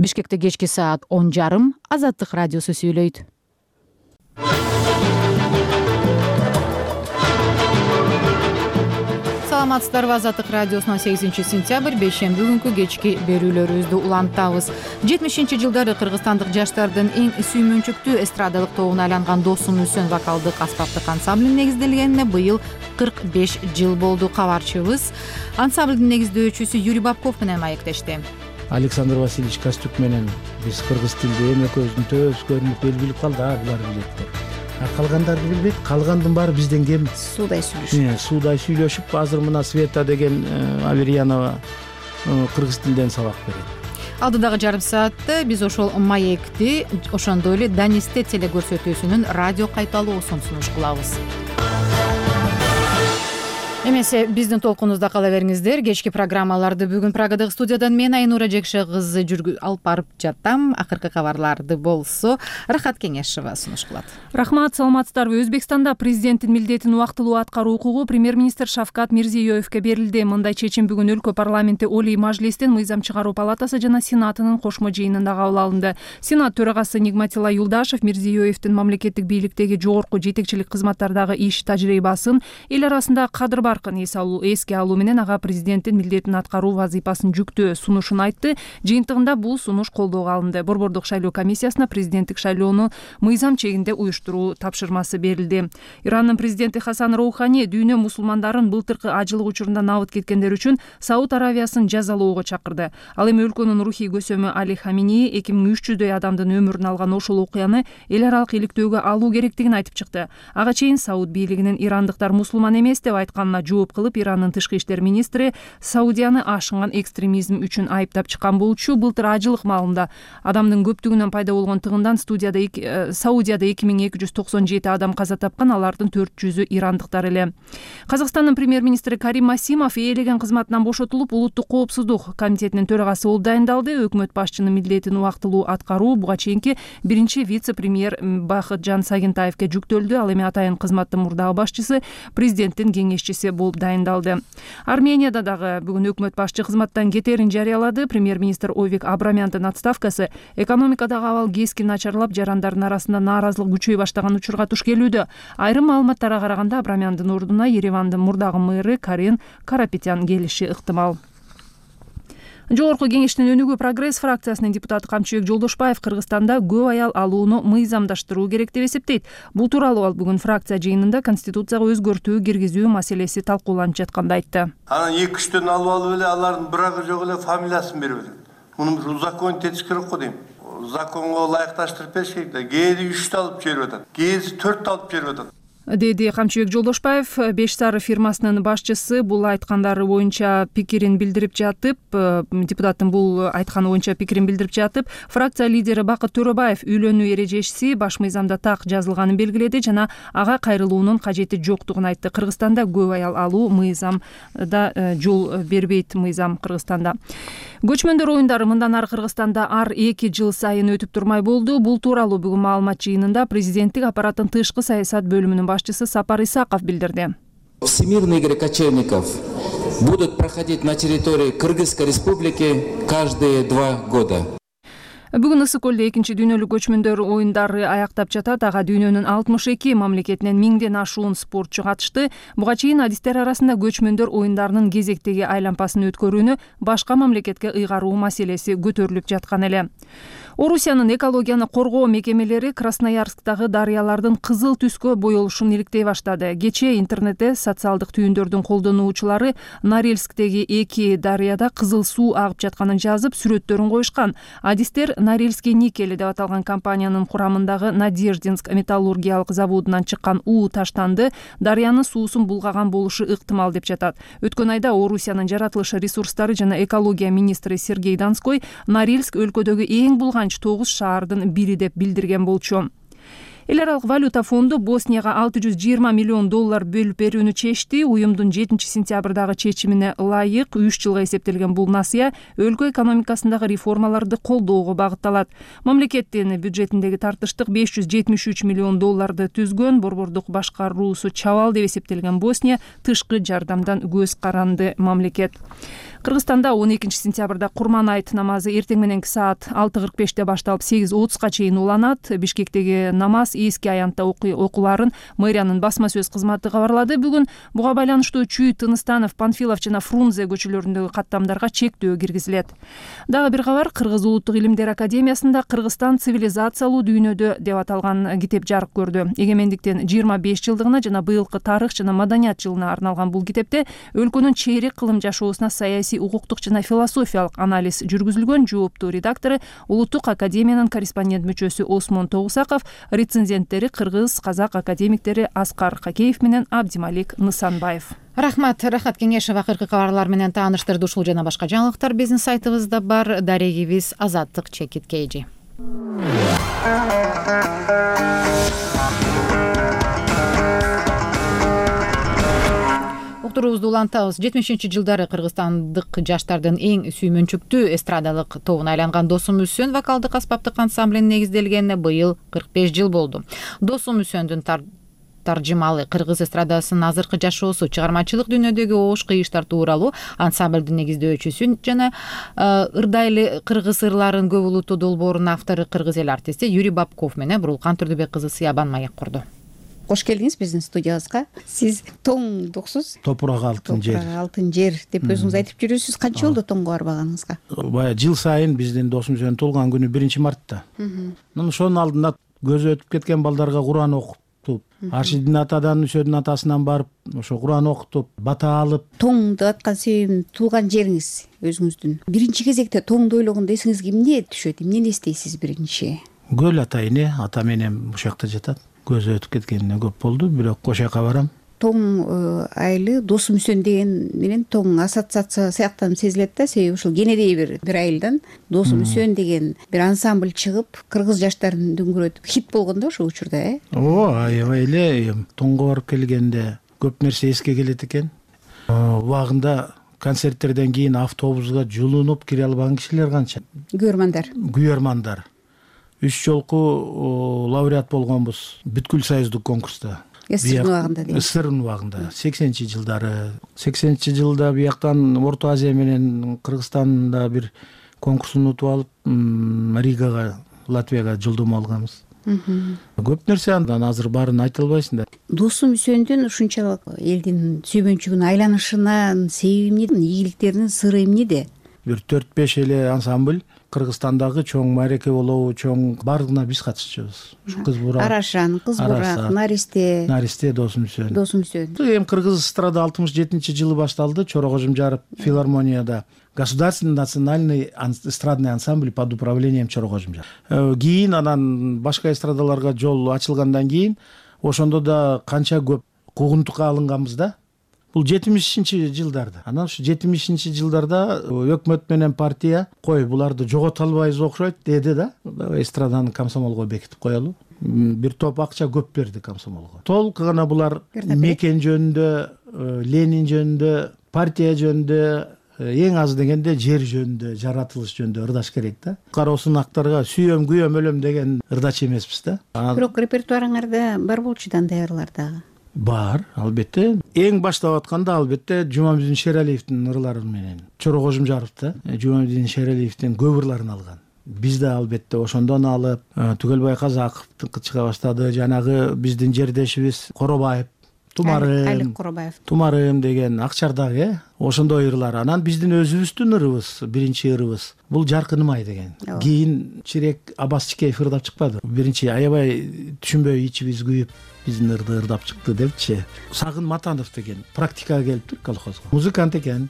Бишкекте кечки саат он жарым Азаттык радиосу сүйлөйт. Саламатсыздарбы? Азаттык радиосунун сегизинчи сентябрь бейшемби күнкү кечки берүүлөрүбүздү улантабыз. жетимишинчи жылдары кыргызстандык жаштардын эң сүймөнчүктүү эстрадалык тобуна айланган Досун Үсөн вокалдык аспаптык ансамбль негизделгенине быйыл кырк беш жыл болду. Кабарчыбыз ансамблдын негиздөөчүсү Юрий Бабков менен маектешти. Александр Васильевич Костюк менен биз кыргыз тилде эми экөөбүздүн төбөбүз көрүнүп эл билип калды, а булар билет деп. А калгандарды билбейт, калгандын баары бизден кем. Суудай сүйлөшүп. Суудай сүйлөшүп, азыр мына Света деген Аверьянова кыргыз тилден сабак берет. Алдыдагы жарым саатта биз ошол маекти, ошондой эле Данисте телекөрсөтүүсүнүн радио кайталоосун сунуш кылабыз. Эмесе биздин толкунубузда кала бериңиздер. Кечки программаларды бүгүн Прагадагы студиядан мен Айнура Жекша кызы жүргү алып барып жатам. Акыркы кабарларды болсо Рахат Кеңешова сунуш кылат. Рахмат, саламатсыздарбы? Өзбекстанда президенттин милдетин убактылуу аткаруу укугу премьер-министр Шавкат Мирзиёевке берилди. Мындай чечим бүгүн өлкө парламенти Олий Мажлистин мыйзам чыгаруу палатасы жана Сенатынын кошмо жыйынында кабыл алынды. Сенат төрагасы Нигматилла Юлдашев Мирзиёевдин мамлекеттик бийликтеги жогорку жетекчилик кызматтардагы иш тажрыйбасын, эл арасында кадыр баркын эске алуу менен ага президенттин милдетин аткаруу вазыйпасын жүктөө сунушун айтты. Жыйынтыгында бул сунуш колдоого алынды. Борбордук шайлоо комиссиясына президенттик шайлоону мыйзам чегинде уюштуруу тапшырмасы берилди. Ирандын президенти Хасан Роухани дүйнө мусулмандарын былтыркы ажылык учурунда набыт кеткендер үчүн Сауд Аравиясын жазалоого чакырды. Ал эми өлкөнүн рухий көсөмү Али Хамини эки миң үч жүздөй адамдын өмүрүн алган ошол окуяны эл аралык иликтөөгө алуу керектигин айтып чыкты. Ага чейин Сауд бийлигинин ирандыктар мусулман эмес деп айтканына жооп кылып, Ирандын тышкы иштер министри Саудияны ашынган экстремизм үчүн айыптап чыккан болчу. Былтыр ажылык маалында адамдын көптүгүнөн пайда болгон тыгындан студияда Саудияда эки миң эки жүз токсон жети адам каза тапкан, алардын төрт жүзү ирандыктар эле. Казакстандын премьер-министри Карим Масимов ээлеген кызматынан бошотулуп, улуттук коопсуздук комитетинин төрагасы болуп дайындалды. Өкмөт башчынын милдетин убактылуу аткаруу буга чейинки биринчи вице-премьер Бакытжан Сагентаевке жүктөлдү. Ал эми атайын кызматтын мурдагы башчысы, президенттин кеңешчиси болуп дайындалды. Арменияда дагы бүгүн өкмөт башчы кызматтан кетерин жарыялады. Премьер-министр Ойвик Абрамяндын отставкасы экономикадагы абал кескин начарлап, жарандардын арасында нааразылык күчөй баштаган учурга туш келүүдө. Айрым маалыматтарга караганда Абрамяндын ордуна Еревандын мурдагы мэры Карен Карапетян келиши ыктымал. Жогорку кеңештин өнүгүү прогресс фракциясынын депутаты Камчыбек Жолдошбаев Кыргызстанда көп аял алууну мыйзамдаштыруу керек деп эсептейт. Бул тууралуу ал бүгүн фракция жыйынында конституцияга өзгөртүү киргизүү маселеси талкууланып жатканда айтты. Анан эки үчтөн алып алып эле алардын бирагы жок эле фамилиясын берип атат. Муну узаконитетиш керек го дейм. Законго ылайыкташтырып бериш керек да. Кээде үчтү алып жиберип атат, кээде төрттү алып жиберип атат. деди Камчыбек Жолдошбаев. Беш Сары фирмасынын башчысы бул айткандары боюнча пикирин билдирип жатып, депутаттын бул айтканы боюнча пикирин билдирип жатып, фракция лидери Бакыт Төрөбаев үйлөнүү эрежеси баш мыйзамда так жазылганын белгиледи жана ага кайрылуунун кажети жоктугун айтты. Кыргызстанда көп аял алуу мыйзамда жол бербейт. Мыйзам Кыргызстанда көчмөндөр оюндары мындан ары Кыргызстанда ар эки жыл сайын өтүп турмай болду. Бул тууралуу бүгүн маалымат жыйынында президенттик аппараттын тышкы саясат бөлүмүнүн башчысы Сапар Исаков билдирди. Всемирные игры кочевников будут проходить на территории Кыргызской республики каждые два года. Бүгүн Ысык көлдө экинчи дүйнөлүк көчмөндөр оюндары аяктап жатат. Ага дүйнөнүн алтымыш эки мамлекетинен миңден ашуун спортчу катышты. Буга чейин адистер арасында көчмөндөр оюндарынын кезектеги айлампасын өткөрүүнү башка мамлекетке ыйгаруу маселеси көтөрүлүп жаткан эле. Орусиянын экологияны коргоо мекемелери Красноярсктагы дарыялардын кызыл түскө боелушун иликтей баштады. Кечээ интернетте социалдык түйүндөрдүн колдонуучулары Норильсктеги эки дарыяда кызыл суу агып жатканын жазып, сүрөттөрүн коюшкан. Адистер Норильский никели деп аталган компаниянын курамындагы Надеждинск металлургиялык заводунан чыккан уу таштанды, дарыянын суусун булгаган болушу ыктымал деп жатат. Өткөн айда Орусиянын жаратылыш ресурстары жана экология министри Сергей Донской Норильск өлкөдөгү эң булган тогуз шаардын бири деп билдирген болчу. Эл аралык валюта фонду Боснияга алты жүз жыйырма миллион доллар бөлүп берүүнү чечти. Уюмдун жетинчи сентябрдагы чечимине ылайык үч жылга эсептелген бул насыя өлкө экономикасындагы реформаларды колдоого багытталат. Мамлекеттин бюджетиндеги тартыштык беш жүз жетимиш үч миллион долларды түзгөн. Борбордук башкаруусу чабал деп эсептелген Босния тышкы жардамдан көз каранды мамлекет. Кыргызстанда он экинчи сентябрда Курман айт намазы эртең мененки саат алты кырк беште башталып сегиз отузга чейин уланат. Бишкектеги намаз эски аянтта окууларын мэриянын басма сөз кызматы кабарлады. Бүгүн буга байланыштуу Чүй, Тыныстанов, Панфилов жана Фрунзе көчөлөрүндөгү каттамдарга чектөө киргизилет. Дагы бир кабар, Кыргыз улуттук илимдер академиясында Кыргызстан цивилизациялуу дүйнөдө деп аталган китеп жарык көрдү. Эгемендиктин жыйырма беш жылдыгына жана быйылкы тарых жана маданият жылына арналган бул китепте өлкөнүн чейрек кылым жашоосуна саясий, укуктук жана философиялык анализ жүргүзүлгөн. Жооптуу редактору Улуттук академиянын корреспондент мүчөсү Осмон Тогусаков, рецензенттери кыргыз, казак академиктери Аскар Какеев менен Абдималик Нысанбаев. Рахмат, Рахат Кеңешева акыркы кабарлар менен тааныштырды. Ушул жана башка жаңылыктар биздин сайтыбызда бар. Дарегибиз Азаттык Чекит Кейжи. Уктуруубузду улантабыз. жетимишинчи жылдары кыргызстандык жаштардын эң сүймөнчүктүү эстрадалык тобуна айланган Досум Үсөн вокалдык аспаптык ансамблинин негизделгенине быйыл кырк беш жыл болду. Досум Үсөндүн таржымалы кыргыз эстрадасынын азыркы жашоосу, чыгармачылык дүйнөдөгү оош кыйыштар тууралуу, ансамблдин негиздөөчүсү жана ырдайлы кыргыз ырларын көп улуттуу долбоорунун автору кыргыз эл артисти Юрий Бабков менен Бурулкан Турдубек кызы Сыябан маек курду. Кош келдиңиз биздин студиябызга. Сиз тоңдуксуз. Топурак алтын жер. Топурак алтын жер деп өзүңүз айтып жүрөсүз. Канча болду тоңго барбаганыңызга? Бая жыл сайын биздин Досум Үсөнүн туулган күнү биринчи мартта. Ошонун алдында көзү өтүп кеткен балдарга Куран окутуп, Аршидин атадан, Үсөдүн атасынан барып, ошо Куран окутуп, бата алып. Тоңду аткан себебин туулган жериңиз өзүңүздүн. Биринчи кезекте тоңду ойлогондо эсиңизге эмне түшөт? Эмнени эстейсиз биринчи? Көл ата эне, ата менен ушул жакта жатат. Көзү өтүп кеткенине көп болду, бирок ошол жака барам. Тоң айылы Досум Үсөн деген менен тоң ассоциация сыяктанып сезилет да, себеби ушул кенедей бир бир айылдан Досум Үсөн деген бир ансамбль чыгып, кыргыз жаштарын дүңгүрөтүп хит болгон да ошол учурда, э? Ооба, аябай эле. Тоңго барып келгенде көп нерсе эске келет экен. Убагында концерттерден кийин автобуска жулунуп кире албаган кишилер канча? Күйөрмандар. Күйөрмандар. Үч жолку лауреат болгонбуз бүткүл союздук конкурста. СССРдин убагында дейм. СССРдин убагында сексенинчи жылдары. сексенинчи жылда бияктан Орто Азия менен Кыргызстанда бир конкурстун утуп алып, Ригага, Латвияга жолдомо алганбыз. Көп нерсе андан азыр баарын айта албайсың да. Досум Үсөндүн ушунчалык элдин сүйбөнчүгүнө айланышынын себеби эмне? Ийгиликтеринин сыры эмнеде? Бир төрт беш эле ансамбль Кыргызстандагы чоң маареке болобу, чоң бардыгына биз катышчубуз. Кыз бурак, Арашан, Кыз бурак, Наристе, Наристе, Досум Үсөн. Досум Үсөн. Эми кыргыз эстрада алтымыш жетинчи жылы башталды. Чорокожумжаров филармонияда государственный национальный эстрадный ансамбль под управлением Чорокожумжаров. Кийин анан башка эстрадаларга жол ачылгандан кийин ошондо да канча көп куугунтукка алынганбыз да. Бул жетимишинчи жылдарда. Анан ушу жетимишинчи жылдарда өкмөт менен партия кой буларды жогото албайбыз окшойт деди да. Эстраданы комсомолго бекитип коелу. Бир топ акча көп берди комсомолго. Толук гана булар мекен жөнүндө, Ленин жөнүндө, партия жөнүндө, эң аз дегенде жер жөнүндө, жаратылыш жөнүндө ырдаш керек да. Кароосун актарга сүйөм, күйөм, өлөм деген ырдач эмеспиз да. Бирок репертуарыңарда бар болчу дандайлар дагы. Бар, албетте. Эң баштап атканда албетте Жумамедин Шералиевдин ырлары менен Чорокожумжаров да Жумамедин Шералиевдин көп ырларын алган. Биз да албетте ошондон алып, Түгөлбай Казаковдун чыга баштады, жанагы биздин жердешибиз Коробаев Тумарым, Алик Куробаев. Тумарым деген Акчардагы э ошондой ырлар. Анан биздин өзүбүздүн ырыбыз, биринчи ырыбыз бул Жаркыным ай деген. Кийин Чирек Аббас Чикеев ырдап чыкпады. Биринчи аябай түшүнбөй ичибиз күйүп биздин ырды ырдап чыкты депчи. Сагын Матанов деген практикага келиптир колхозго. Музыкант экен.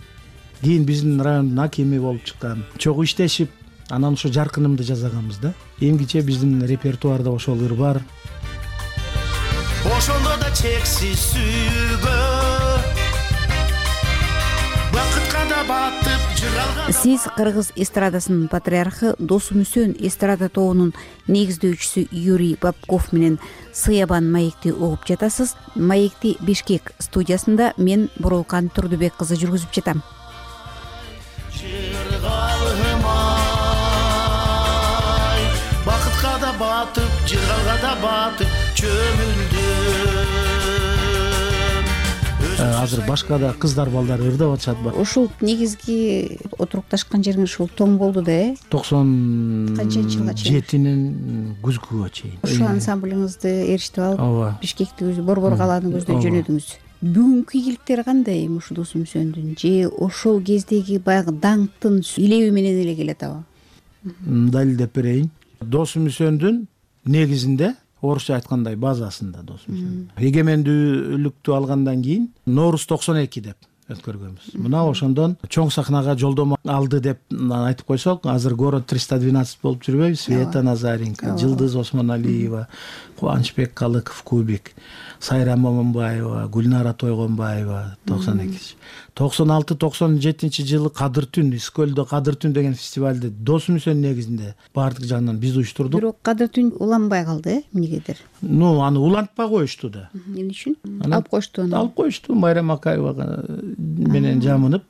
Кийин биздин райондун акими болуп чыккан. Чогуу иштешип, анан ошо Жаркынымды жасаганбыз да. Эмгиче биздин репертуарда ошол ыр бар. Ошондо да чексиз сүйгө бакытка да батып жыралган. Сиз кыргыз эстрадасынын патриархы Досмүсөн эстрада тобунун негиздөөчүсү Юрий Бабков менен Сыябан маекти угуп жатасыз. Маекти Бишкек студиясында мен Бурулкан Турдубек кызы жүргүзүп жатам. Бакытка да батып, жыргалга да батып чөмүлдүм. Азыр башка да кыздар балдар ырдап атышат бар. Ушул негизги отурукташкан жериңиз ушул Тоң болду да э? токсон жылга чейин? жетинин күзгүгө чейин. Ушул ансамблиңизди эричтип алып, Ооба. Бишкекти өзү Борбор калааны көздөй жөнөдүңүз. Бүгүнкү ийгиликтери кандай ушу Досмүсөндүн же ошол кездеги баягы даңктын илеби менен эле келет аба? Далилдеп берейин. Досмүсөндүн негизинде орусча айткандай базасында Досмүсөн. Эгемендүүлүктү алгандан кийин Нооруз токсон эки деп өткөргөнбүз. Мына ошондон чоң сахнага жолдомо алды деп айтып койсок, азыр город триста двенадцать болуп жүрбөйбү? Света Назаренко, Жылдыз Осмоналиева, Кубанычбек Калыков, Кубик, Сайра Момунбаева, Гүлнара Тойгонбаева токсон экинчи. токсон алты токсон жетинчи жылы Кадыр түн, Искөлдө Кадыр түн деген фестивалды Досмүсөн негизинде баардык жагынан биз уюштурдук. Бирок Кадыр түн уланбай калды э, эмнегедир? Ну, аны улантпай коюшту да. Эмне үчүн? Алып коюшту аны. Алып коюшту. Майрам Акаевага менен жамынып,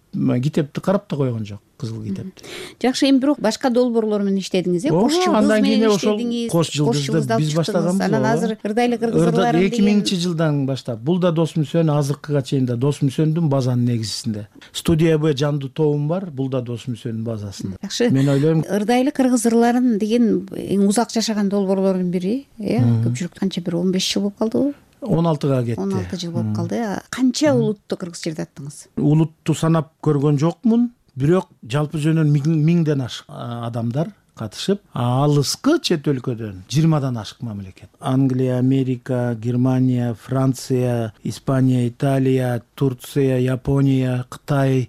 китепти карап да койгон жок, кызыл китепти. Жакшы, эми бирок башка долбоорлор менен иштедиңиз э? Кош жылдыз менен иштедиңиз. Кош жылдызды биз баштаганбыз. Анан азыр ырдайлы кыргыз ырларын деген эки миңинчи жылдан баштап. Бул да Досмүсөн, азыркыга чейин да Досмүсөндүн базанын негизисинде. Студия Б жандуу тобум бар, бул да Досмүсөндүн базасында. Жакшы. Мен ойлойм, ырдайлы кыргыз ырларын деген эң узак жашаган долбоорлордун бири, э? Көпчүлүк канча бир он беш жыл болуп калдыбы? он алтыга кетти. он алты жыл болуп калды. Канча улутту кыргыз жерде аттыңыз? Улутту санап көргөн жокмун, бирок жалпы жөнүн миңден ашык адамдар катышып, алыскы чет өлкөдөн жыйырмадан ашык мамлекет. Англия, Америка, Германия, Франция, Испания, Италия, Турция, Япония, Кытай,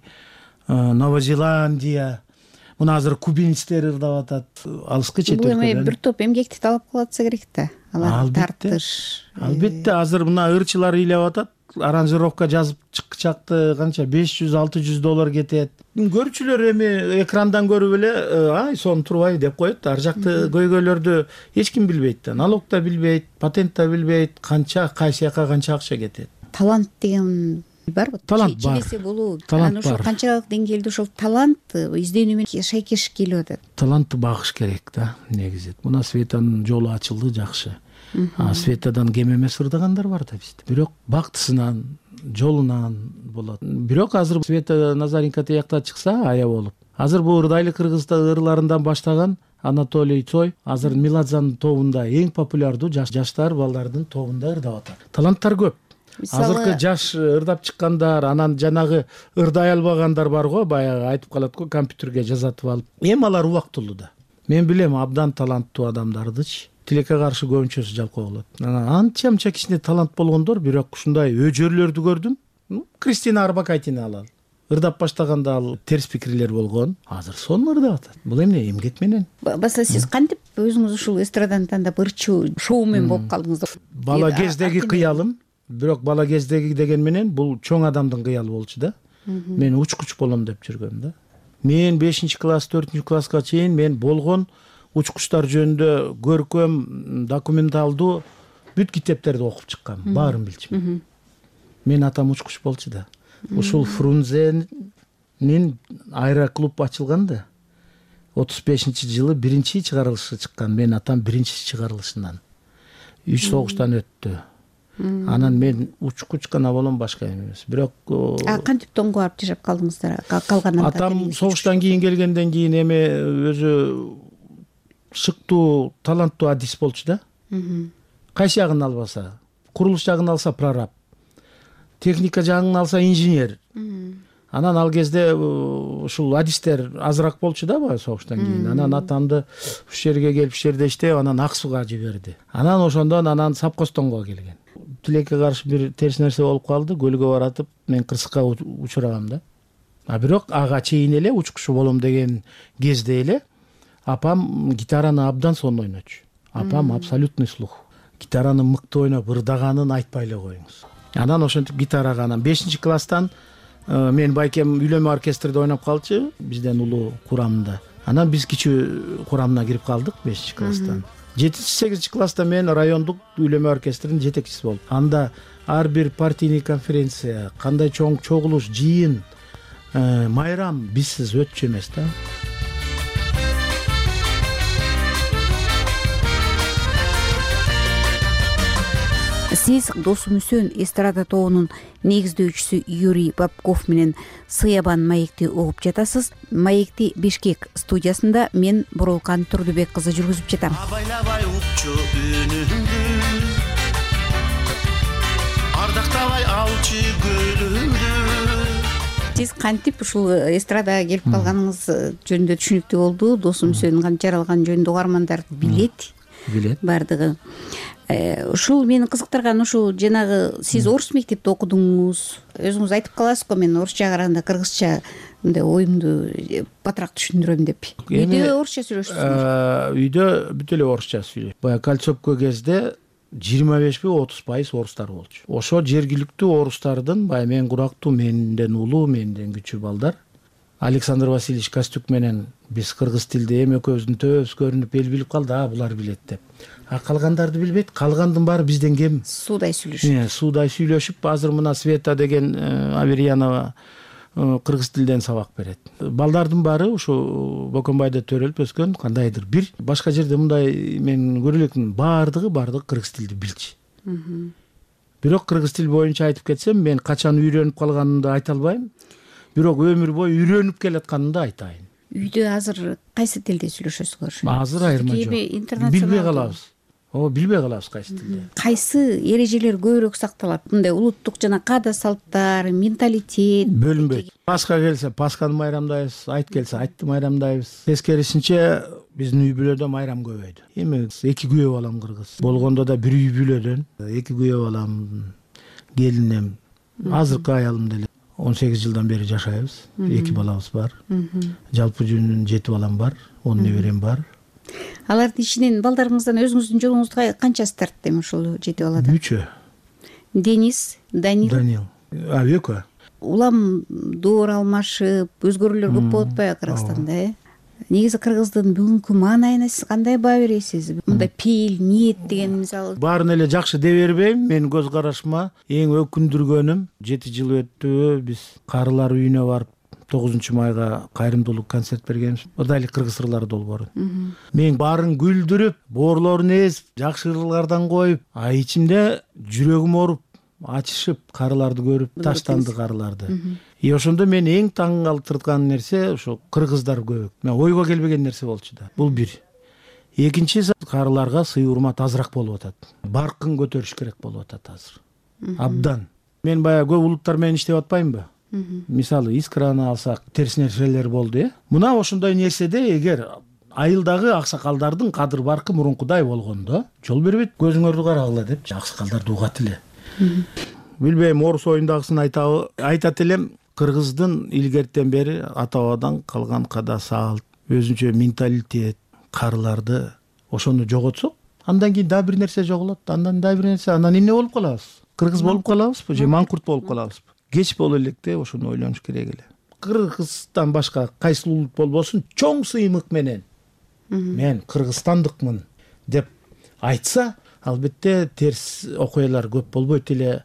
Новая Зеландия. Мына азыр кубинецтер ырдап атат. Алыскы чет өлкөдөн. Бул эми бир топ эмгекти талап кылып атса керек да. Алар тартыш. Албетте, азыр мына ырчылар ыйлап атат. Аранжировка жазып чыкчакты канча беш жүз алты жүз доллар кетет. Көрүүчүлөр эми экрандан көрүп эле ай сон турбай деп коет. Ар жакты көйгөйлөрдү эч ким билбейт да. Налог да билбейт, патент да билбейт, канча кайсы жака канча акча кетет. Талант деген барбы? Талант бар. Челесе болуу. Анан ошол канчалык деңгээлде ошол талантты изденүү менен шайкеш келип атат. Талантты багыш керек да, негизи. Мына Светанын жолу ачылды, жакшы. А Светадан кем эмес ырдагандар бар да бизде. Бирок бактысынан, жолунан болот. Бирок азыр Света Назаренко тиякта чыкса ая болуп. Азыр бул ырдайлы кыргыз ырларынан баштаган Анатолий Цой азыр Меладзанын тобунда эң популярдуу жаштар балдардын тобунда ырдап атат. Таланттар көп. Азыркы жаш ырдап чыккандар, анан жанагы ырдай албагандар бар го, баягы айтып калат го, компьютерге жазатып алып. Эми алар убактылуу да. Мен билем абдан таланттуу адамдардычы. Тилекке каршы көбүнчөсү жалкоо болот. Анча мынча кичине талант болгондор, бирок ушундай өжөрлөрдү көрдүм. Кристина Арбакайтини алалы. Ырдап баштаганда ал терс пикирлер болгон. Азыр сонун ырдап атат. Бул эмне, эмгек менен. Баса сиз кантип өзүңүз ушул эстраданы тандап ырчуу шоумен болуп калдыңыз? Бала кездеги кыялым, бирок бала кездеги деген менен бул чоң адамдын кыялы болчу да. Мен учкуч болом деп жүргөм да. Мен бешинчи класс, төртүнчү класска чейин мен болгон учкучтар жөнүндө көркөм, документалдуу бүт китептерди окуп чыккам, баарын билчүмүн. Мен атам учкуч болчу да. Ушул Фрунзенин аэроклуб ачылган да. отуз бешинчи жылы биринчи чыгарылышы чыккан. Мен атам биринчи чыгарылышынан. Үч согуштан өттү. Анан мен учкуч гана болом, башка эмес. Бирок кантип Тоңго барып жашап калдыңыздар? Калган атам согуштан кийин келгенден кийин эми өзү шыктуу, таланттуу адис болчу да. Кайсы жагын албаса, курулуш жагын алса прораб, техника жагын алса инженер. Анан ал кезде ушул адистер азыраак болчу да баягы согуштан кийин. Анан атамды ушул жерге келип ушул жерде иштеп, анан Ак Сууга жиберди. Анан ошондон анан Сапкостонго келген. Тилекке каршы бир терс нерсе болуп калды. Көлгө баратып мен кырсыкка учурагам да. А бирок ага чейин эле учкуч болом деген кезде эле апам гитараны абдан сонун ойночу. Апам абсолютный слух. Гитараны мыкты ойноп, ырдаганын айтпай эле коюңуз. Анан ошентип гитарага анан бешинчи класстан мен байкем үйлөнмө оркестрде ойноп калчу, бизден улуу курамында. Анан биз кичүү курамына кирип калдык бешинчи класстан. жетинчи сегизинчи класста мен райондук үйлөнмө оркестринин жетекчиси болдум. Анда ар бир партийный конференция, кандай чоң чогулуш, жыйын, майрам бизсиз өтчү эмес да. Сиз Досум Үсөн эстрада тобунун негиздөөчүсү Юрий Бабков менен Сыябан маекти угуп жатасыз. Маекти Бишкек студиясында мен Бурулкан Турдубек кызы жүргүзүп жатам. Абайлабай укчу үнүңдү, ардактабай алчы көлүңдү. Сиз кантип ушул эстрадага келип калганыңыз жөнүндө түшүнүктүү болду. Досум Үсөнүн кантип жаралганы жөнүндө угармандар билет. Билет. Бардыгы. Ушул мени кызыктырган ушул жанагы сиз орус мектепте окудуңуз. Өзүңүз айтып каласыз го, мен орусча караганда кыргызча мындай оюмду батыраак түшүндүрөм деп. Үйдө орусча сүйлөшөсүңүз? Үйдө бүт эле орусча сүйлөйт. Баягы Кольцовко кезде жыйырма бешпи отуз пайыз орустар болчу. Ошо жергиликтүү орустардын баягы мен курактуу, менден улуу, менден күчүү балдар Александр Васильевич Костюк менен биз кыргыз тилде эми экөөбүздүн төбөбүз көрүнүп эл билип калды, а булар билет деп. А калгандарды билбейт. Калгандын баары бизден кем. Суудай сүйлөшүп. Суудай сүйлөшүп, азыр мына Света деген Аверьянова кыргыз тилден сабак берет. Балдардын баары ушу Бокомбайда төрөлүп өскөн, кандайдыр бир башка жерде мындай мен көрө элекмин, баардыгы баардыгы кыргыз тилди билчү. Бирок кыргыз тил боюнча айтып кетсем, мен качан үйрөнүп калганымды айта албайм. Бирок өмүр бою үйрөнүп келатканымды айтайын. Үйдө азыр кайсы тилде сүйлөшөсүңөр? Азыр айырма жок. Билбей калабыз. О, билбей калабыз кайсы тилде. Кайсы эрежелер көбүрөөк сакталат? Мындай улуттук жана каада салттар, менталитет бөлүнбөйт. Пасха келсе, Пасханы майрамдайбыз, айт келсе, айтты майрамдайбыз. Тескерисинче биздин үй бүлөдө майрам көбөйдү. Эми эки күйөө балам кыргыз. Болгондо да бир үй бүлөдөн эки күйөө балам, келинем, азыркы аялым деле он сегиз жылдан бери жашайбыз. Эки балабыз бар. Жалпы жүнүн жети балам бар, он неберем бар. Алардын ичинен балдарыңыздан өзүңүздүн жолуңузга канчасы тартты эми ушул жети баладан? Үчөө. Денис, Данил. Данил. А экөө. Улам доор алмашып, өзгөрүүлөр көп болуп атпайбы Кыргызстанда, э? Негизи кыргыздын бүгүнкү маанайына сиз кандай баа бересиз? Мындай пейил, ниет деген мисалы. Баарын эле жакшы дей бербейм. Менин көз карашыма эң өкүндүргөнүм жети жыл өттү, биз карылар үйүнө барып тогузунчу майга кайрымдуулук концерт бергенбиз. Ода эле кыргыз ырлары долбоорун. Мен баарын күлдүрүп, боорлорун эзип, жакшы ырлардан коюп, а ичимде жүрөгүм ооруп, ачышып карыларды көрүп, таштанды карыларды. И ошондо мен эң таң калтырткан нерсе ошо кыргыздар көбөк. Мен ойго келбеген нерсе болчу да. Бул бир. Экинчиси, карыларга сый урмат азыраак болуп атат. Баркын көтөрүш керек болуп атат азыр. Абдан. Мен баягы көп улуттар менен иштеп атпаймынбы? Мисалы, Искраны алсак, терс нерселер болду, э? Мына ошондой нерседе эгер айылдагы аксакалдардын кадыр баркы мурункудай болгондо, жол бербейт, көзүңөрдү карагыла деп аксакалдарды угат эле. Билбейм, орус оюндагысын айтабы, айтат элем, кыргыздын илгертен бери ата-бабадан калган када салт, өзүнчө менталитет, карыларды ошону жоготсок, андан кийин дагы бир нерсе жоголот, андан дагы бир нерсе, анан эмне болуп калабыз? Кыргыз болуп калабызбы же маңкурт болуп калабызбы? Кеч боло электе ошону ойлонуш керек эле. Кыргызстан башка кайсы улут болбосун, чоң сыймык менен мен кыргызстандыкмын деп айтса, албетте терс окуялар көп болбойт эле.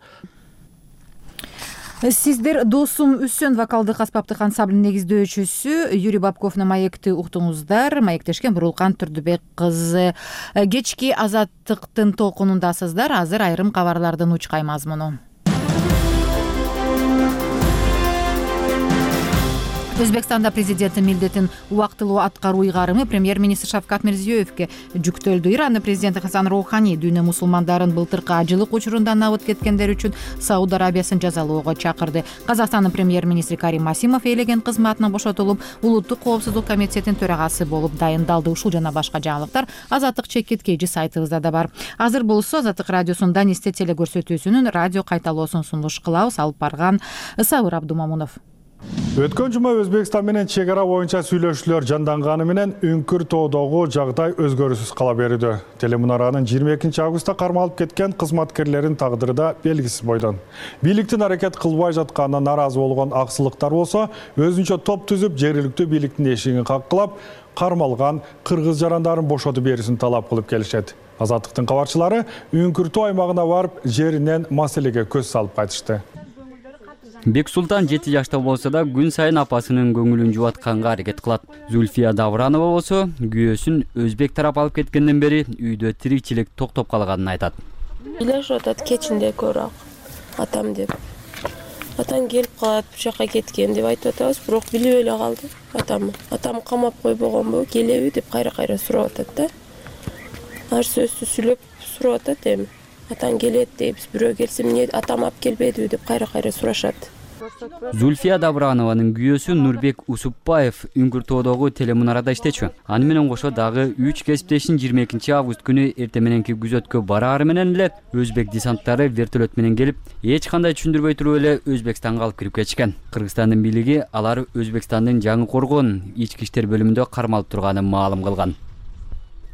Сиздер Досум Үсөн вокалдык аспаптык ансамблдын негиздөөчүсү Юрий Бабковдун маекти уктуңуздар. Маектешкен Бурулкан Турдубек кызы. Кечки Азаттыктын толкунундасыздар. Азыр айрым кабарлардын учкай мазмуну. Өзбекстанда президенттин милдетин убактылуу аткаруу ыйгарымы премьер-министр Шавкат Мирзиёевке жүктөлдү. Иранын президенти Хасан Роухани дүйнө мусулмандарын былтыркы ажылык учурунда набыт кеткендер үчүн Сауд Арабиясын жазалоого чакырды. Казакстандын премьер-министри Карим Масимов ээлеген кызматынан бошотулуп, улуттук коопсуздук комитетинин төрагасы болуп дайындалды. Ушул жана башка жаңылыктар Азаттык чекиткейжи сайтыбызда да бар. Азыр болсо Азаттык радиосунун Данисте телекөрсөтүүсүнүн радио кайталоосун сунуш кылабыз. Алып барган Сабыр Абдумамунов. Өткөн жума Өзбекстан менен чек ара боюнча сүйлөшүүлөр жанданганы менен Үңкүр тоодогу жагдай өзгөрүүсүз кала берүүдө. Телемунаранын жыйырма экинчи августта кармалып кеткен кызматкерлердин тагдыры да белгисиз бойдон. Бийликтин аракет кылбай жатканына наразы болгон аксылыктар болсо, өзүнчө топ түзүп, жергиликтүү бийликтин эшигин каккылап, кармалган кыргыз жарандарын бошотуп берүүсүн талап кылып келишет. Азаттыктын кабарчылары Үңкүр тоо аймагына барып, жеринен маселеге көз салып кайтышты. Бексултан жети жашта болсо да күн сайын апасынын көңүлүн жубатканга аракет кылат. Зульфия Давранова болсо күйөөсүн өзбек тарап алып кеткенден бери үйдө тирикчилик токтоп калганын айтат. Үйлөшүп атат кечинде көрөк атам деп. Атам келип калат, бул жака кеткен деп айтып атабыз, бирок билип эле калды атам. Атам камап койбогонбу, келеби деп кайра-кайра сурап атат да. Ар сөздү сүйлөп сурап атат эми. Атаң келет дейбиз, бирөө келсе эмне атам алып келбедиби деп кайра-кайра сурашат. Зульфия Давранованын күйөөсү Нурбек Усупбаев Үңкүр тоодогу телемунарада иштечү. Аны менен кошо дагы үч кесиптешин жыйырма экинчи август күнү эрте мененки күзөткө бараары менен эле өзбек десанттары вертолет менен келип, эч кандай түшүндүрбөй туруп эле Өзбекстанга алып кирип кетишкен. Кыргызстандын бийлиги алар Өзбекстандын жаңы коргон ички иштер бөлүмүндө кармалып турганын маалым кылган.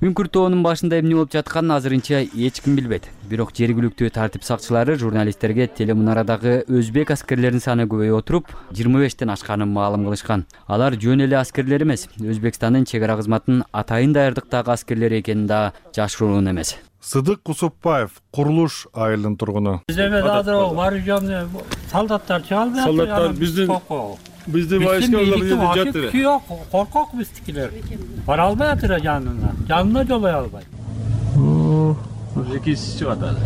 Үңкүр тоонун башында эмне болуп жатканын азырынча эч ким билбейт. Бирок жергиликтүү тартип сакчылары журналисттерге телемунарадагы өзбек аскерлеринин саны көбөйүп отуруп, жыйырма бештен ашканын маалым кылышкан. Алар жөн эле аскерлер эмес, Өзбекстандын чек ара кызматынын атайын даярдыктагы аскерлери экени да жашыруун эмес. Сыдык Усупбаев курулуш айылынын тургуну. Бизде азыр вооруженный солдаттар чыгалды. Солдаттар биздин Биздин войскалар жатыр. Жок, коркок биздикилер. Бара албай атыр жанына. Жанына жолой албай. Экинчиси чыгат азыр.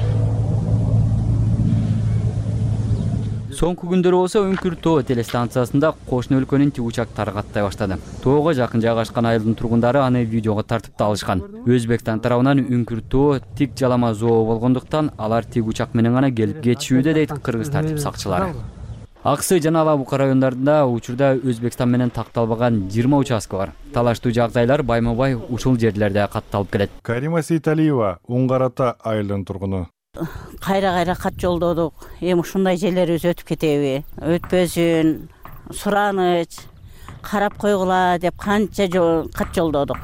Соңку күндөрү болсо Үңкүр тоо телестанциясында кошуна өлкөнүн тик учактары каттай баштады. Тоого жакын жайгашкан айылдын тургундары аны видеого тартып да алышкан. Өзбекстан тарабынан Үңкүр тоо тик жалама зоо болгондуктан алар тик учак менен гана келип кетишүүдө дейт кыргыз тартип сакчылары. Аксы жана Алабука райондарында учурда Өзбекстан менен такталбаган жыйырма участка бар. Талаштуу жагдайлар байма-бай ушул жерлерде катталып келет. Карима Сейталиева Уңгарата айылынын тургуну. Кайра-кайра кат жолдодук. Эми ушундай жерлерибиз өтүп кетеби? Өтпөсүн, сураныч, карап койгула деп канча кат жолдодук.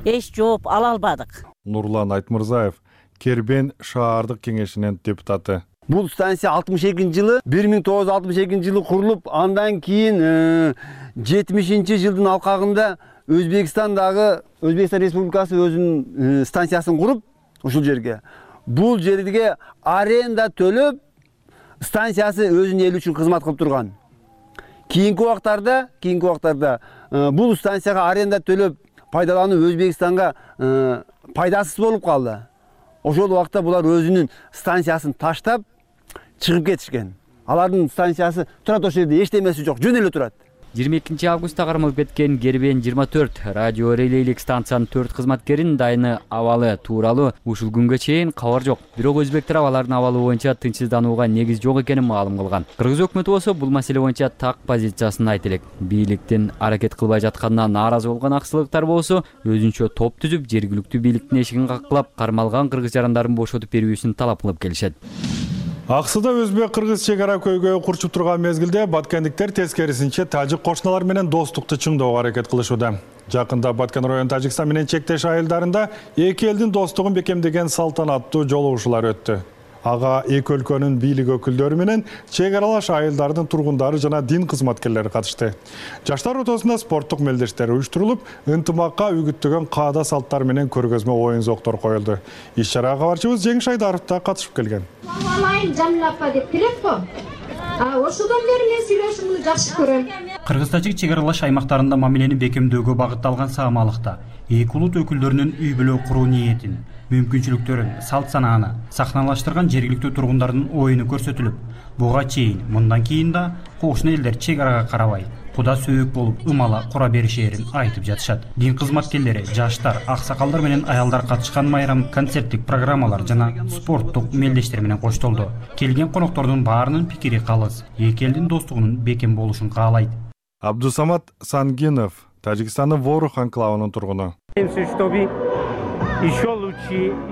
Эч жооп ала албадык. Нурлан Айтмырзаев Кербен шаардык кеңешинин депутаты. Бул станция алтымыш экинчи жылы бир миң тогуз жүз алтымыш экинчи жылы курулуп, андан кийин жетимишинчи жылдын алкагында Өзбекстандагы Өзбекстан Республикасы өзүнүн станциясын куруп, ушул жерге бул жерге аренда төлөп, станциясы өзүнүн эли үчүн кызмат кылып турган. Кийинки убактарда, кийинки убактарда бул станцияга аренда төлөп пайдалануу Өзбекстанга пайдасыз болуп калды. Ошол убакта булар өзүнүн станциясын таштап чыгып кетишкен. Алардын станциясы турат ошол жерде, эчтемеси жок, жөн эле турат. жыйырма экинчи августта кармалып кеткен Кербен жыйырма төрт радио релейлик станциянын төрт кызматкеринин дайыны абалы тууралуу ушул күнгө чейин кабар жок. Бирок өзбек тарап алардын абалы боюнча тынчсызданууга негиз жок экенин маалым кылган. Кыргыз өкмөтү болсо бул маселе боюнча так позициясын айтып элек. Бийликтин аракет кылбай жатканына нааразы болгон аксылыктар болсо өзүнчө топ түзүп, жергиликтүү бийликтин эшигин каккылап, кармалган кыргыз жарандарын бошотуп берүүсүн талап кылып келишет. Аксыда өзбек-кыргыз чек ара көйгөйү курчуп турган мезгилде баткендиктер тескерисинче тажик кошуналар менен достукту чыңдоого аракет кылышууда. Жакында Баткен район Тажикстан менен чектеш айылдарында эки элдин достугун бекемдеген салтанаттуу жолугушуулар өттү. Ага эки өлкөнүн бийлик өкүлдөрү менен чек аралаш айылдардын тургундары жана дин кызматкерлери катышты. Жаштар ортосунда спорттук мелдештер уюштурулуп, ынтымакка үгүттөгөн каада салттар менен көргөзмө оюн-зоктор коюлду. Иш-чарага кабарчыбыз Жеңиш Айдаров да катышып келген. Ошодон бери мен сүйлөшүүнү жакшы көрөм. Кыргыз-тажик чек аралаш аймактарында мамилени бекемдөөгө багытталган саамалыкта эки улут өкүлдөрүнүн үй бүлө куруу ниетин, мүмкүнчүлүктөрүн, салт санааны сахналаштырган жергиликтүү тургундардын оюну көрсөтүлүп, буга чейин мындан кийин да кошуна элдер чек арага карабай куда сөөк болуп ымала кура беришээрин айтып жатышат. Дин кызматкерлери, жаштар, аксакалдар менен аялдар катышкан майрам концерттик программалар жана спорттук мелдештер менен коштолду. Келген коноктордун баарынын пикири калыс, эки элдин достугунун бекем болушун каалайт. Абдусамат Сангинов, Тажикстандын Ворух анклавынын тургуну.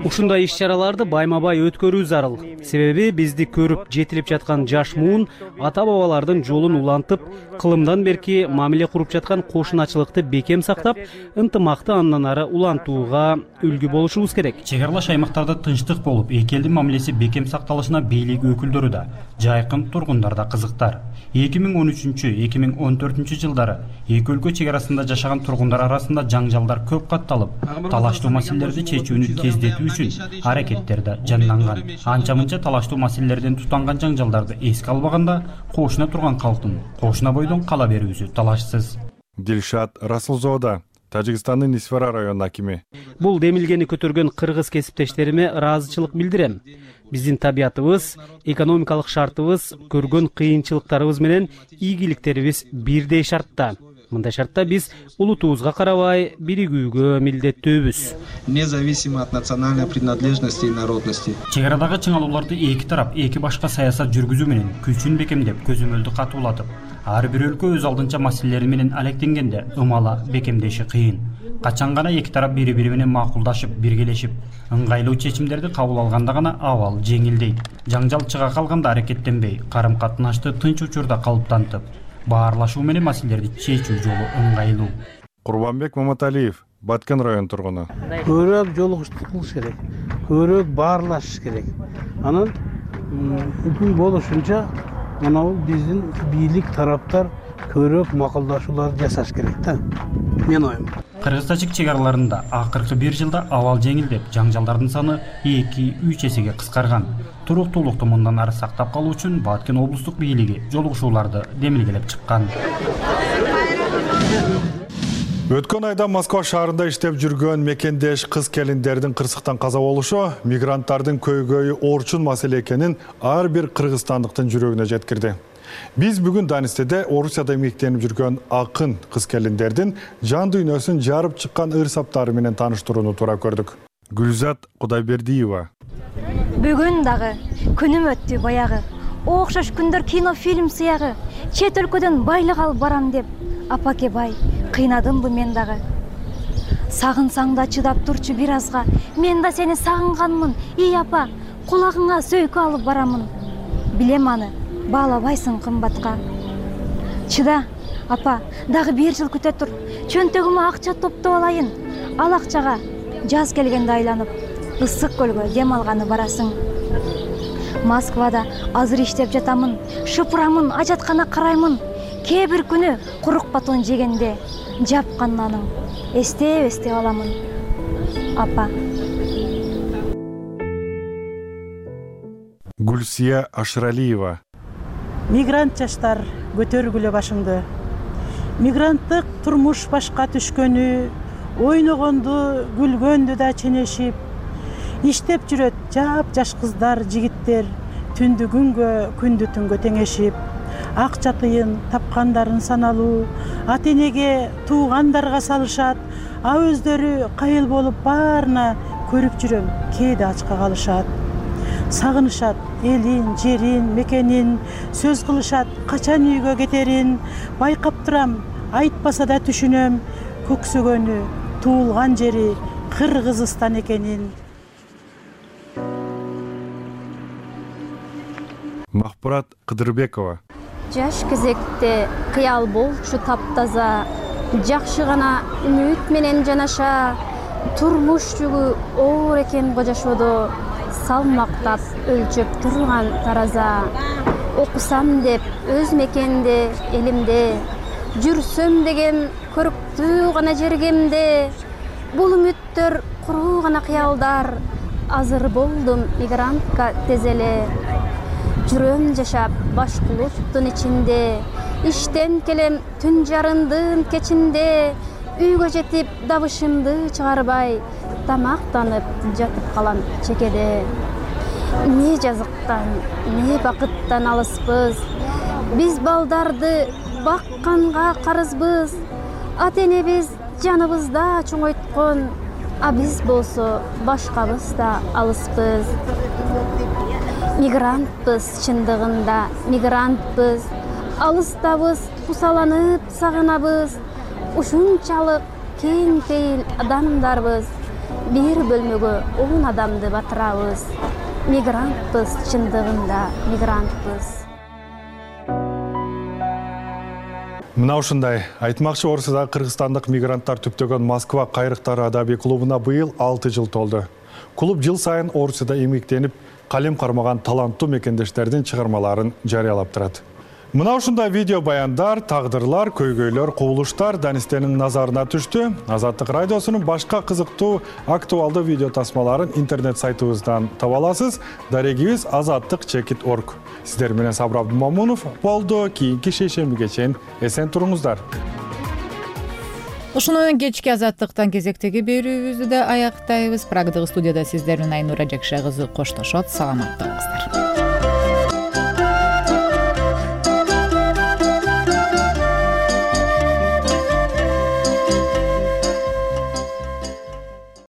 Ушундай иш-чараларды байма-бай өткөрүү зарыл. Себеби бизди көрүп жетилип жаткан жаш муун ата-бабалардын жолун улантып, кылымдан берки мамиле куруп жаткан кошуначылыкты бекем сактап, ынтымакты андан ары улантууга үлгү болушубуз керек. Чек аралаш аймактарда тынчтык болуп, эки элдин мамилеси бекем сакталышына бийлик өкүлдөрү да, жайкын тургундар да кызыктар. эки миң он үчүнчү — эки миң он төртүнчү жылдары эки өлкө чек арасында жашаган тургундар арасында жаңжалдар көп катталып, талаштуу маселелерди чечүүнү тездетүү үчүн аракеттер да жанданган. Анча-мынча талаштуу маселелерден тутанган жаңжалдарды эске албаганда, кошуна турган калктын кошуна бойдон кала берүүсү талашсыз. Дилшат Расулзода, Тажикстандын Исфара районунун акими. Бул демилгени көтөргөн кыргыз кесиптештериме ыраазычылык билдирем. Биздин табиятыбыз, экономикалык шартыбыз, көргөн кыйынчылыктарыбыз менен ийгиликтерибиз бирдей шартта. Мындай шартта биз улутубузга карабай биригүүгө милдеттүүбүз. Независимо от национальной принадлежности и народности. Чек арадагы чыңалууларды эки тарап эки башка саясат жүргүзүү менен күчүн бекемдеп, көзөмөлдү катуулатып, ар бир өлкө өз алдынча маселелери менен алектенгенде ымала бекемдеши кыйын. Качан гана эки тарап бири-бири менен макулдашып, биргелешип, ыңгайлуу чечимдерди кабыл алганда гана абал жеңилдейт. Жаңжал чыга калганда аракеттенбей, карым-катнашты тынч учурда калыптантып, баарлашуу менен маселелерди чечүү жолу ыңгайлуу. Курбанбек Маматалиев, Баткен район тургуну. Көбүрөөк жолугуштук кылыш керек, көбүрөөк баарлашыш керек. Анан үкүм болушунча мына биздин бийлик тараптар көбүрөөк макулдашууларды жасаш керек да. Мен оюм. Кыргыз-тажик чек араларында акыркы бир жылда абал жеңилдеп, жаңжалдардын саны эки үч эсеге кыскарган. Туруктуулукту мындан ары сактап калуу үчүн Баткен облустук бийлиги жолугушууларды демилгелеп чыккан. Өткөн айда Москва шаарында иштеп жүргөн мекендеш кыз-келиндердин кырсыктан каза болушу мигранттардын көйгөйү орчун маселе экенин ар бир кыргызстандыктын жүрөгүнө жеткирди. Биз бүгүн Данистеде Орусияда эмгектенип жүргөн акын кыз-келиндердин жан дүйнөсүн жарып чыккан ырсаптары менен тааныштырууну туура көрдүк. Гүлзат Кудайбердиева. Бүгүн дагы күнүм өттү баягы. Окшош күндөр кино фильм сыягы. Чет өлкөдөн байлык алып барам деп апаке бай кыйнадымбы мен дагы. Сагынсаң да чыдап турчу бир азга. Мен да сени сагынганмын. Ий апа, кулагыңа сөйкө алып барамын. Билем аны, баалабайсың кымбатка. Чыда, апа, дагы бир жыл күтө тур. Чөнтөгүмө акча топтоп алайын. Ал акчага жаз келгенде айланып, ысык көлгө дем алганы барасың. Москвада азыр иштеп жатамын, шыпырамын, ажаткана караймын. Кээ бир күнү курук батон жегенде жапкан наның эстеп-эстеп аламын. Апа. Гүлсия Ашыралиева. Мигрант жаштар, көтөргүлө башыңды. Мигранттык турмуш башка түшкөнү, ойногонду, күлгөндү да ченешип, иштеп жүрөт жап-жаш кыздар, жигиттер, түндү күнгө, күндү түнгө теңешип, акча тыйын тапкандарын саналуу, ата-энеге, туугандарга салышат, а өздөрү кайыл болуп баарына көрүп жүрөм, кээде ачка калышат. Сагынышат элин, жерин, мекенин, сөз кылышат качан үйгө кетерин, байкап турам, айтпаса да түшүнөм, көксөгөнү, туулган жери Кыргызстан экенин. Махпурат Кыдырбекова. Жаш кезекте кыял болчу таптаза, жакшы гана үмүт менен жанаша, турмуш жүгү оор экен го жашоодо, салмактап өлчөп турган тараза. Окусам деп өз мекенде, элимде, жүрсөм деген көрүктүү гана жергемде, бул үмүттөр куруу гана кыялдар, азыр болдум мигрантка тез эле. Жүрөм жашап башкулуттун ичинде, иштен келем түн жарындын кечинде, үйгө жетип дабышымды чыгарбай, тамактанып жатып калам чекеде. Не жазыктан, не бакыттан алыспыз, биз балдарды бакканга карызбыз. Ата энебиз жаныбызда чоңойткон, а биз болсо башкабыз да алыспыз. Мигрантпыз, чындыгында мигрантпыз. Алыстабыз, кусаланып сагынабыз. Ушунчалык кең пейил адамдарбыз. Бир бөлмөгө он адамды батырабыз. Мигрантпыз, чындыгында мигрантпыз. Мына ушундай айтмакчы, Орусияда кыргызстандык мигранттар түптөгөн Москва кайрыктары адабий клубуна быйыл алты жыл толду. Клуб жыл сайын Орусияда эмгектенип, калем кармаган таланттуу мекендештердин чыгармаларын жарыялап турат. Мына ушундай видео баяндар, тагдырлар, көйгөйлөр, кубулуштар Данистенин назарына түштү. Азаттык радиосунун башка кызыктуу актуалдуу видео тасмаларын интернет сайтыбыздан таба аласыз. Дарегибиз азаттык чекит точка орг. Сиздер менен Сабыр Абдумамунов болду. Кийинки шейшембиге чейин эсен туруңуздар. Ушуну менен кечки азаттыктан кезектеги берүүбүздү да аяктайбыз. Прагдагы студияда сиздер менен Айнура Жакшайкызы коштошот. Саламатта болуңуздар.